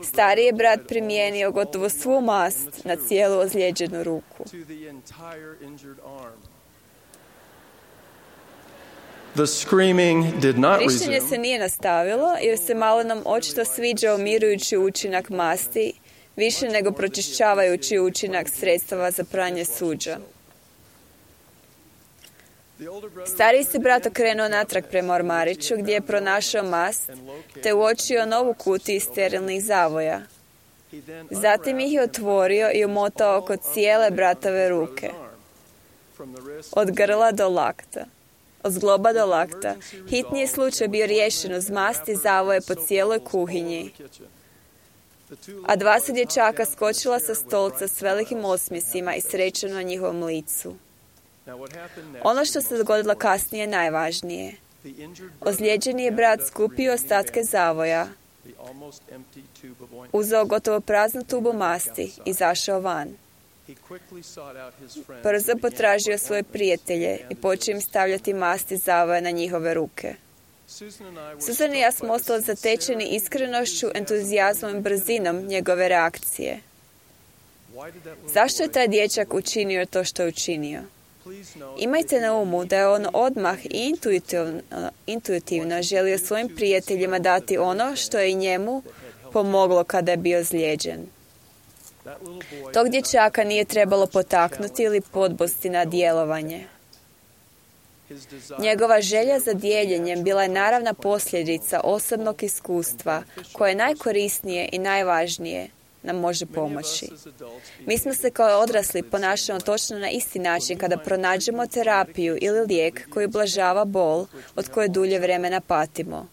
stariji je brat primijenio gotovo svu mast na cijelu ozlijeđenu ruku. Vrištenje se nije nastavilo jer se malenom očito sviđao mirujući učinak masti više nego pročišćavajući učinak sredstava za pranje suđa. Stariji se brat okrenuo natrag prema ormariću gdje je pronašao mast te uočio novu kutiju sterilnih zavoja. Zatim ih je otvorio i umotao oko cijele bratove ruke. Od grla do lakta. Od zgloba do lakta. Hitni je slučaj bio riješen uz masti zavoje po cijeloj kuhinji. A 2 su dječaka skočila sa stolca s velikim osmjesima i srećom na njihovom licu. Ono što se dogodilo kasnije je najvažnije. Ozlijeđeni je brat skupio ostatke zavoja, uzeo gotovo praznu tubu masti i izašao van. Brzo potražio svoje prijatelje i počeo im stavljati masti zavoja na njihove ruke. Suzan i ja smo ostali zatečeni iskrenošću, entuzijazmom i brzinom njegove reakcije. Zašto je taj dječak učinio to što je učinio? Imajte na umu da je on odmah i intuitivno želio svojim prijateljima dati ono što je i njemu pomoglo kada je bio ozlijeđen. Tog dječaka nije trebalo potaknuti ili podbosti na djelovanje. Njegova želja za dijeljenjem bila je naravna posljedica osobnog iskustva koje najkorisnije i najvažnije nam može pomoći. Mi smo se kao odrasli ponašamo točno na isti način kada pronađemo terapiju ili lijek koji ublažava bol od koje dulje vremena patimo.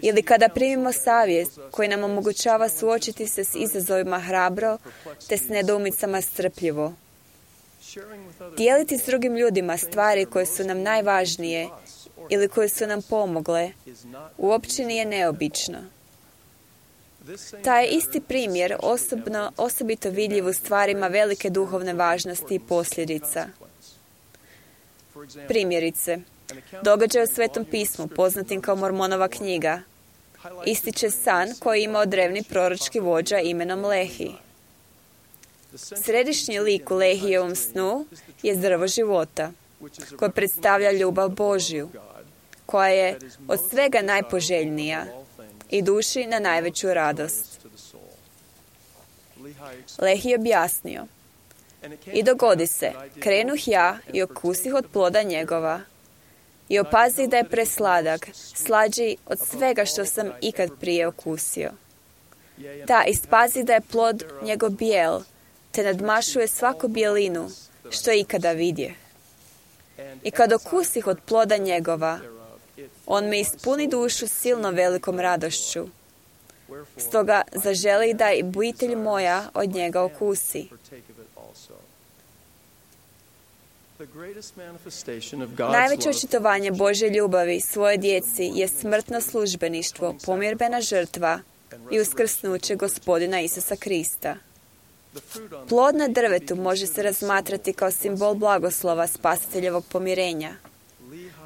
Ili kada primimo savjet koji nam omogućava suočiti se s izazovima hrabro te s nedoumicama strpljivo. Dijeliti s drugim ljudima stvari koje su nam najvažnije ili koje su nam pomogle, uopće nije neobično. Taj isti primjer osobito vidljiv u stvarima velike duhovne važnosti i posljedica. Primjerice, događaj u Svetom pismu, poznatim kao Mormonova knjiga, ističe san koji ima drevni proročki vođa imenom Lehi. Središnji lik u Lehijevom snu je drvo života, koje predstavlja ljubav Božju, koja je od svega najpoželjnija i duši na najveću radost. Lehi je objasnio: i dogodi se, krenuh ja i okusih od ploda njegova i opazih da je presladak, slađi od svega što sam ikad prije okusio. Da, ispazih da je plod njegov bijel, te nadmašuje svaku bijelinu što je ikada vidje. I kad okusih od ploda njegova, on me ispuni dušu silno velikom radošću. Stoga zaželi da i obitelj moja od njega okusi. Najveće očitovanje Božje ljubavi svoje djeci je smrtno službeništvo, pomirbena žrtva i uskrsnuće Gospodina Isusa Krista. Plod na drvetu može se razmatrati kao simbol blagoslova spasiteljevog pomirenja.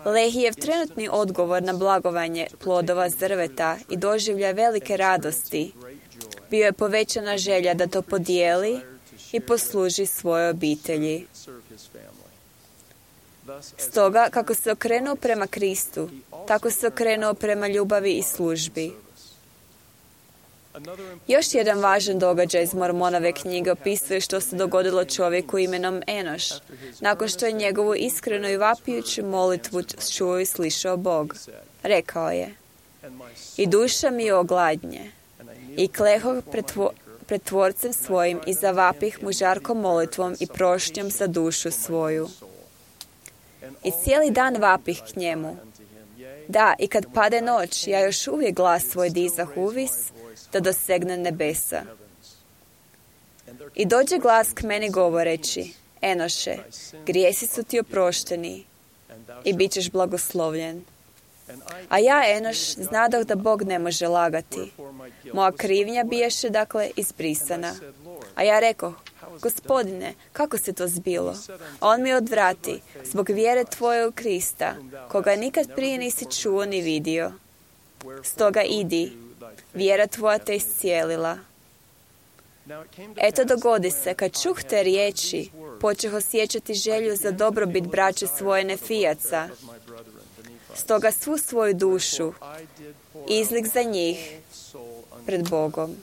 Lehijev trenutni odgovor na blagovanje plodova s drveta i doživljaj velike radosti bio je povećana želja da to podijeli i posluži svojoj obitelji. Stoga, kako se okrenuo prema Kristu, tako se okrenuo prema ljubavi i službi. Još jedan važan događaj iz Mormonove knjige opisuje što se dogodilo čovjeku imenom Enoš, nakon što je njegovu iskrenu i vapijuću molitvu čuo i slišao Bog. Rekao je: i duša mi ogladnje, i klehoh pred Tvorcem svojim i zavapih mu žarkom molitvom i prošnjom za dušu svoju. I cijeli dan vapih k njemu. Da, i kad pade noć, ja još uvijek glas svoj dizah uvis, da dosegne nebesa. I dođe glas k meni govoreći: Enoše, grijesi su ti oprošteni i bit ćeš blagoslovljen. A ja, Enoš, znadoh da Bog ne može lagati. Moja krivnja biješe, dakle, izbrisana. A ja rekoh: Gospodine, kako se to zbilo? A on mi odvrati: zbog vjere tvoje u Krista, koga nikad prije nisi čuo ni vidio. Stoga idi, vjera tvoja te iscijelila. Eto, dogodi se, kad čuh te riječi, počeh osjećati želju za dobrobit braće svoje Nefijaca. Stoga svu svoju dušu izlik za njih pred Bogom.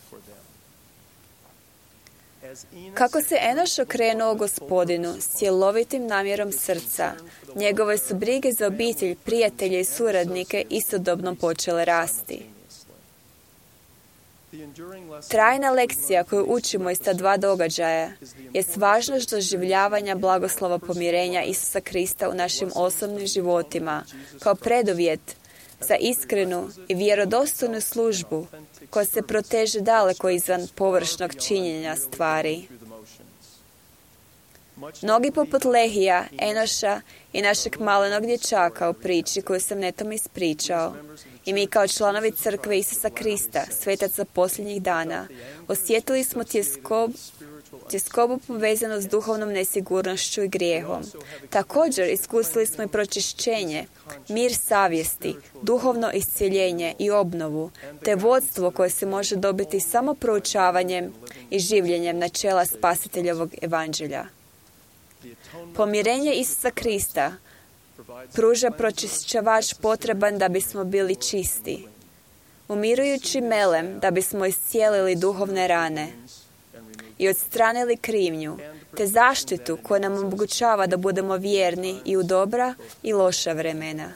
Kako se Enoš okrenuo Gospodinu s cjelovitim namjerom srca, njegove su brige za obitelj, prijatelje i suradnike istodobno počele rasti. Trajna lekcija koju učimo iz ta dva događaja je važnost doživljavanja blagoslova pomirenja Isusa Krista u našim osobnim životima kao preduvjet za iskrenu i vjerodostojnu službu koja se proteže daleko izvan površnog činjenja stvari. Mnogi poput Lehija, Enoša i našeg malenog dječaka u priči koju sam netom ispričao, i mi kao članovi crkve Isusa Krista, svetaca posljednjih dana, osjetili smo tjeskobu povezanu s duhovnom nesigurnošću i grijehom. Također iskusili smo i pročišćenje, mir savjesti, duhovno iscjeljenje i obnovu, te vodstvo koje se može dobiti samo proučavanjem i življenjem načela spasiteljevog evanđelja. Pomirenje Isusa Krista pruža pročišćavač potreban da bismo bili čisti, umirujući melem da bismo iscijelili duhovne rane i odstranili krivnju, te zaštitu koja nam omogućava da budemo vjerni i u dobra i loša vremena.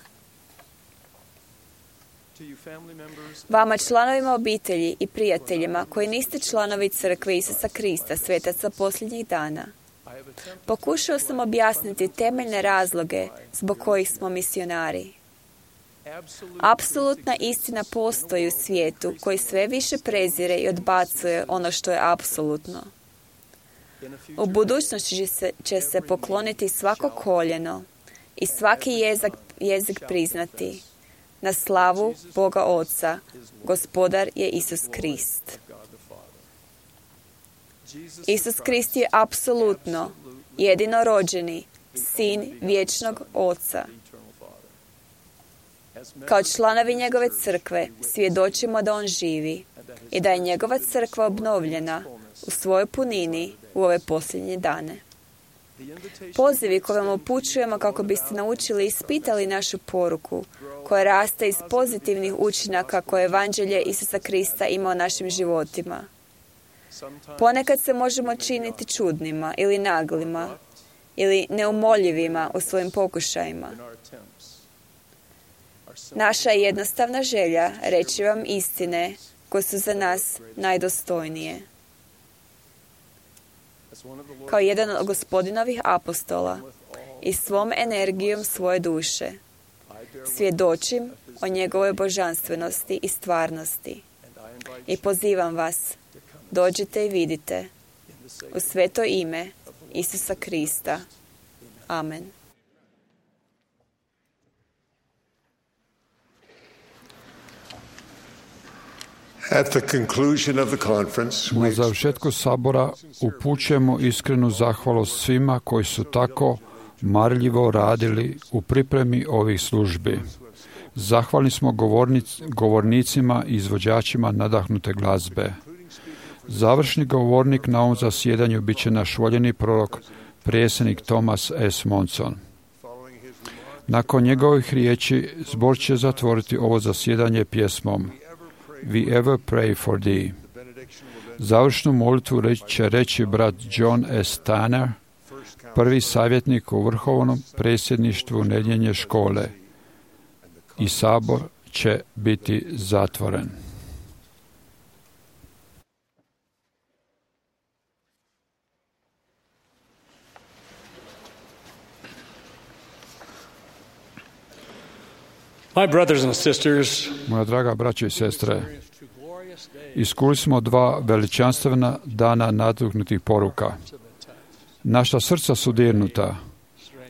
Vama, članovima obitelji i prijateljima koji niste članovi crkve Isusa Krista, svetaca posljednjih dana, pokušao sam objasniti temeljne razloge zbog kojih smo misionari. Apsolutna istina postoji u svijetu koji sve više prezire i odbacuje ono što je apsolutno. U budućnosti će se pokloniti svako koljeno i svaki jezik priznati. Na slavu Boga Oca, Gospodar je Isus Krist. Isus Krist je apsolutno jedinorođeni sin vječnog Oca. Kao članovi njegove crkve svjedočimo da on živi i da je njegova crkva obnovljena u svojoj punini u ove posljednje dane. Pozivi koje vam upućujemo kako biste naučili i ispitali našu poruku, koja raste iz pozitivnih učinaka koje evanđelje Isusa Krista ima u našim životima. Ponekad se možemo činiti čudnima ili naglima ili neumoljivima u svojim pokušajima. Naša je jednostavna želja reći vam istine koje su za nas najdostojnije. Kao jedan od Gospodinovih apostola i svom energijom svoje duše svjedočim o njegovoj božanstvenosti i stvarnosti. I pozivam vas, dođite i vidite u sveto ime Isusa Krista. Amen. At the conclusion of the conference, Na završetku sabora upućujemo iskrenu zahvalost svima koji su tako marljivo radili u pripremi ovih službi. Zahvalni smo govornicima i izvođačima nadahnute glazbe. Završni govornik na ovom zasjedanju bit će naš voljeni prorok, predsjednik Thomas S. Monson. Nakon njegovih riječi, zbor će zatvoriti ovo zasjedanje pjesmom We ever pray for thee. Završnu molitvu će reći brat John S. Tanner, prvi savjetnik u vrhovnom predsjedništvu nedjelje škole, i sabor će biti zatvoren. My brothers and sisters, moja draga braćo i sestre, iskusili smo 2 veličanstvena dana nadahnutih poruka. Naša srca su dirnuta,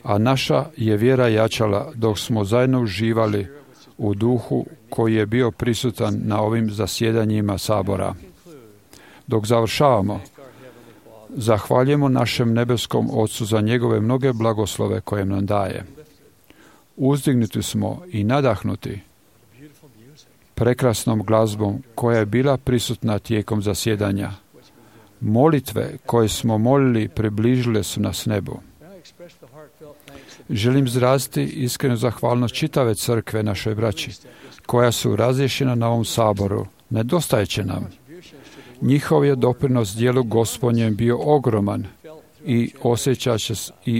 a naša je vjera jačala dok smo zajedno uživali u duhu koji je bio prisutan na ovim zasjedanjima sabora. Dok završavamo, zahvaljujemo našem nebeskom Ocu za njegove mnoge blagoslove koje nam daje. Uzdignuti smo i nadahnuti prekrasnom glazbom koja je bila prisutna tijekom zasjedanja. Molitve koje smo molili približile su nas nebu. Želim izraziti iskrenu zahvalnost čitave crkve našoj braći, koja su razriješena na ovom saboru. Nedostajeće nam. Njihov je doprinos dijelu Gospodnjem bio ogroman i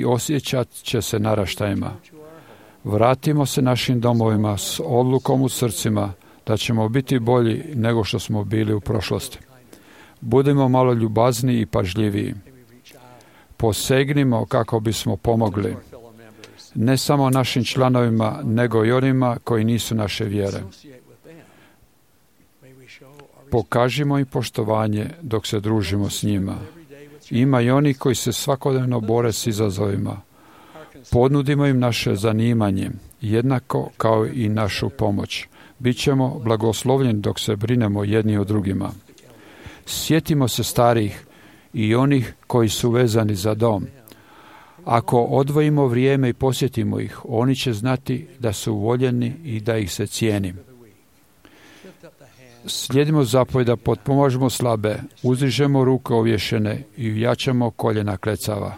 osjećat će se naraštajima. Vratimo se našim domovima s odlukom u srcima da ćemo biti bolji nego što smo bili u prošlosti. Budimo malo ljubazniji i pažljiviji. Posegnimo kako bismo pomogli. Ne samo našim članovima, nego i onima koji nisu naše vjere. Pokažimo im poštovanje dok se družimo s njima. Ima i oni koji se svakodnevno bore s izazovima. Ponudimo im naše zanimanje, jednako kao i našu pomoć. Bićemo blagoslovljeni dok se brinemo jedni o drugima. Sjetimo se starih i onih koji su vezani za dom. Ako odvojimo vrijeme i posjetimo ih, oni će znati da su voljeni i da ih se cijeni. Slijedimo zapovjed da potpomažemo slabe, uzdižemo ruke ovješene i jačamo koljena klecava.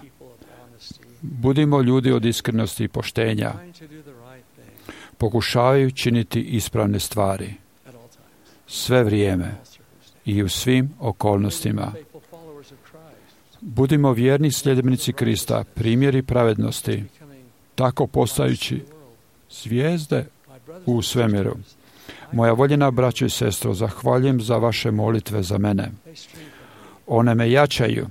Budimo ljudi od iskrenosti i poštenja. Pokušavaju činiti ispravne stvari. Sve vrijeme i u svim okolnostima. Budimo vjerni sljedbenici Krista, primjeri pravednosti, tako postajući zvijezde u svemiru. Moja voljena braćo i sestro, zahvaljujem za vaše molitve za mene. One me jačaju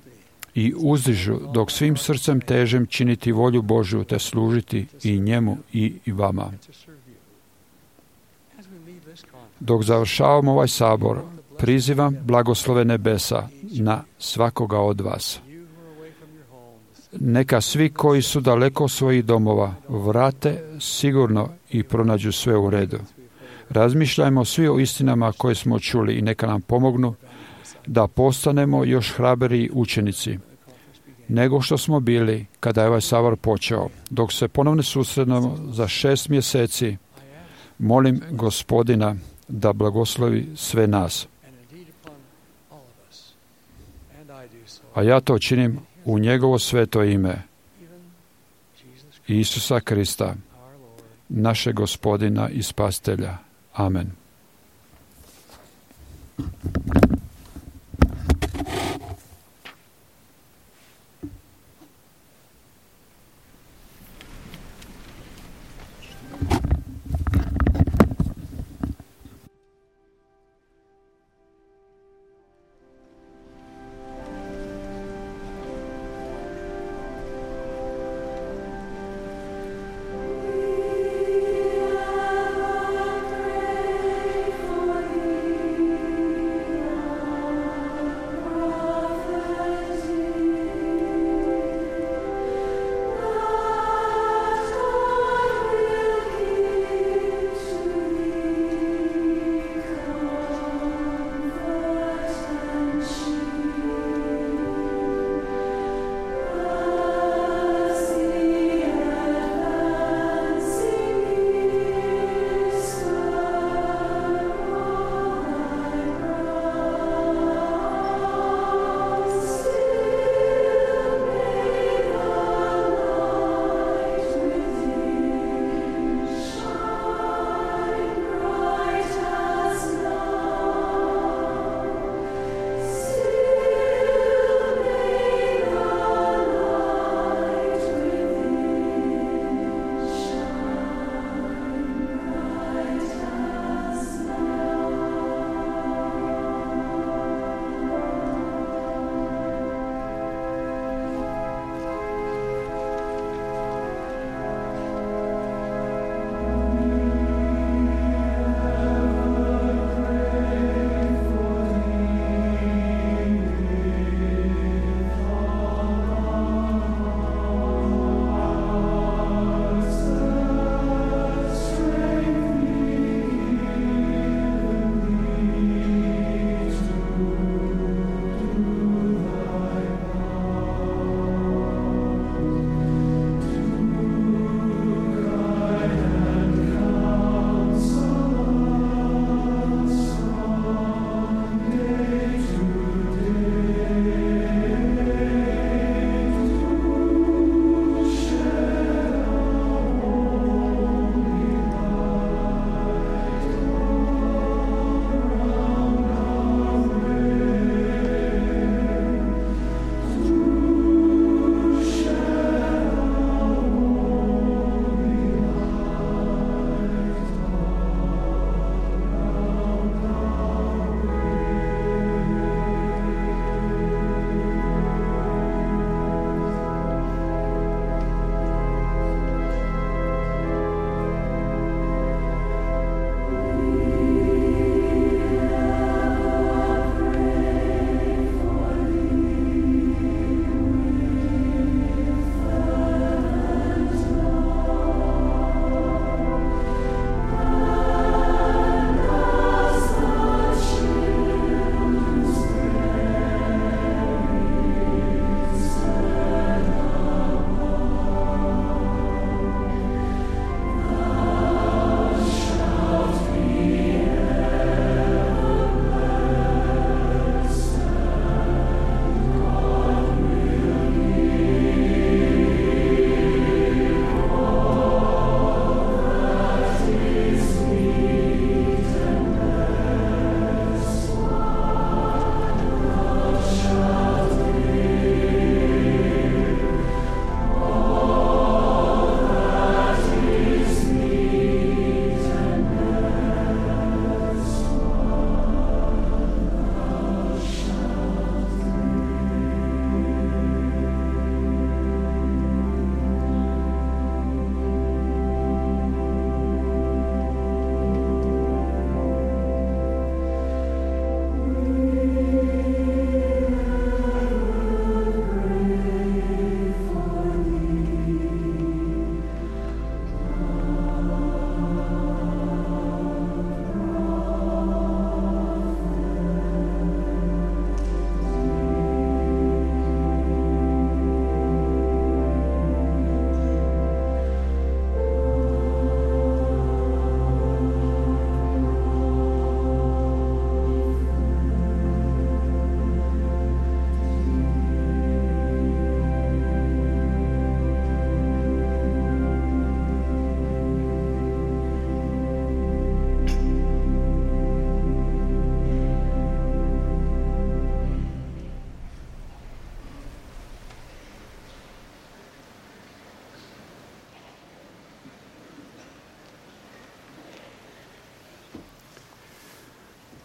i uzdižu dok svim srcem težem činiti volju Božju te služiti i njemu i vama. Dok završavamo ovaj sabor, prizivam blagoslove nebesa na svakoga od vas. Neka svi koji su daleko svojih domova vrate sigurno i pronađu sve u redu. Razmišljajmo svi o istinama koje smo čuli i neka nam pomognu da postanemo još hrabriji učenici nego što smo bili kada je ovaj sabor počeo. Dok se ponovno susretnemo za 6 mjeseci, molim Gospodina da blagoslovi sve nas. A ja to činim u njegovo sveto ime, Isusa Krista, našeg Gospodina i Spasitelja. Amen.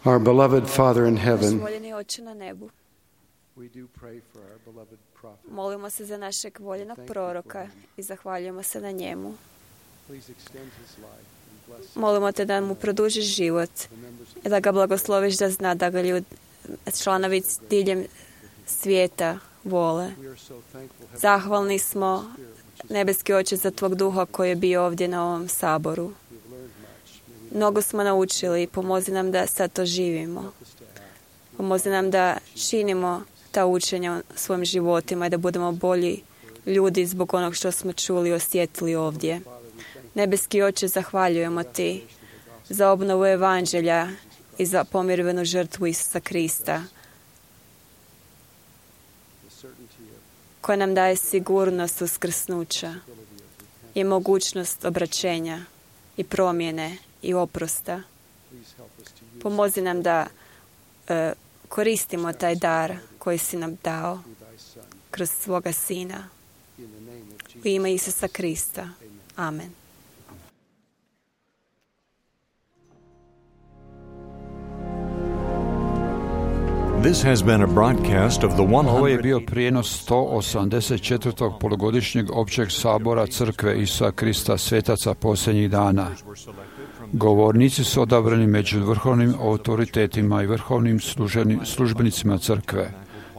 Our beloved Father in heaven, voljeni Oče na nebu, molimo se za našeg voljenog proroka i zahvaljujemo se na njemu. Molimo te da mu produžiš život i da ga blagosloviš, da zna da ga članovi diljem svijeta vole. Zahvalni smo, nebeski Oče, za tvog duha koji je bio ovdje na ovom saboru. Mnogo smo naučili i pomozi nam da sad to živimo. Pomozi nam da činimo ta učenja u svojim životima i da budemo bolji ljudi zbog onog što smo čuli i osjetili ovdje. Nebeski Oče, zahvaljujemo ti za obnovu evanđelja i za pomirivenu žrtvu Isusa Krista, koja nam daje sigurnost uskrsnuća i mogućnost obraćenja i promjene i oprosta. Pomozi nam da koristimo taj dar koji si nam dao kroz svoga Sina. U ime Isusa Krista. Amen. This has been a broadcast of the Ovo je bio prijenos 184. polugodišnjeg općeg sabora Crkve Isusa Krista svetaca posljednjih dana. Govornici su odabrani među vrhovnim autoritetima i vrhovnim službenicima Crkve.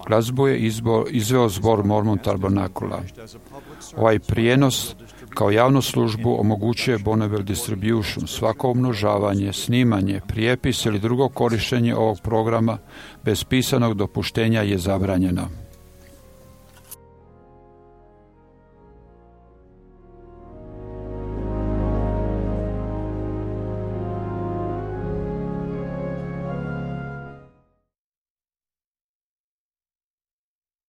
Glazbu je izveo zbor Mormon Tabernakula. Ovaj prijenos kao javnu službu omogućuje Bonneville Distribution. Svako umnožavanje, snimanje, prijepis ili drugo korištenje ovog programa bez pisanog dopuštenja je zabranjeno.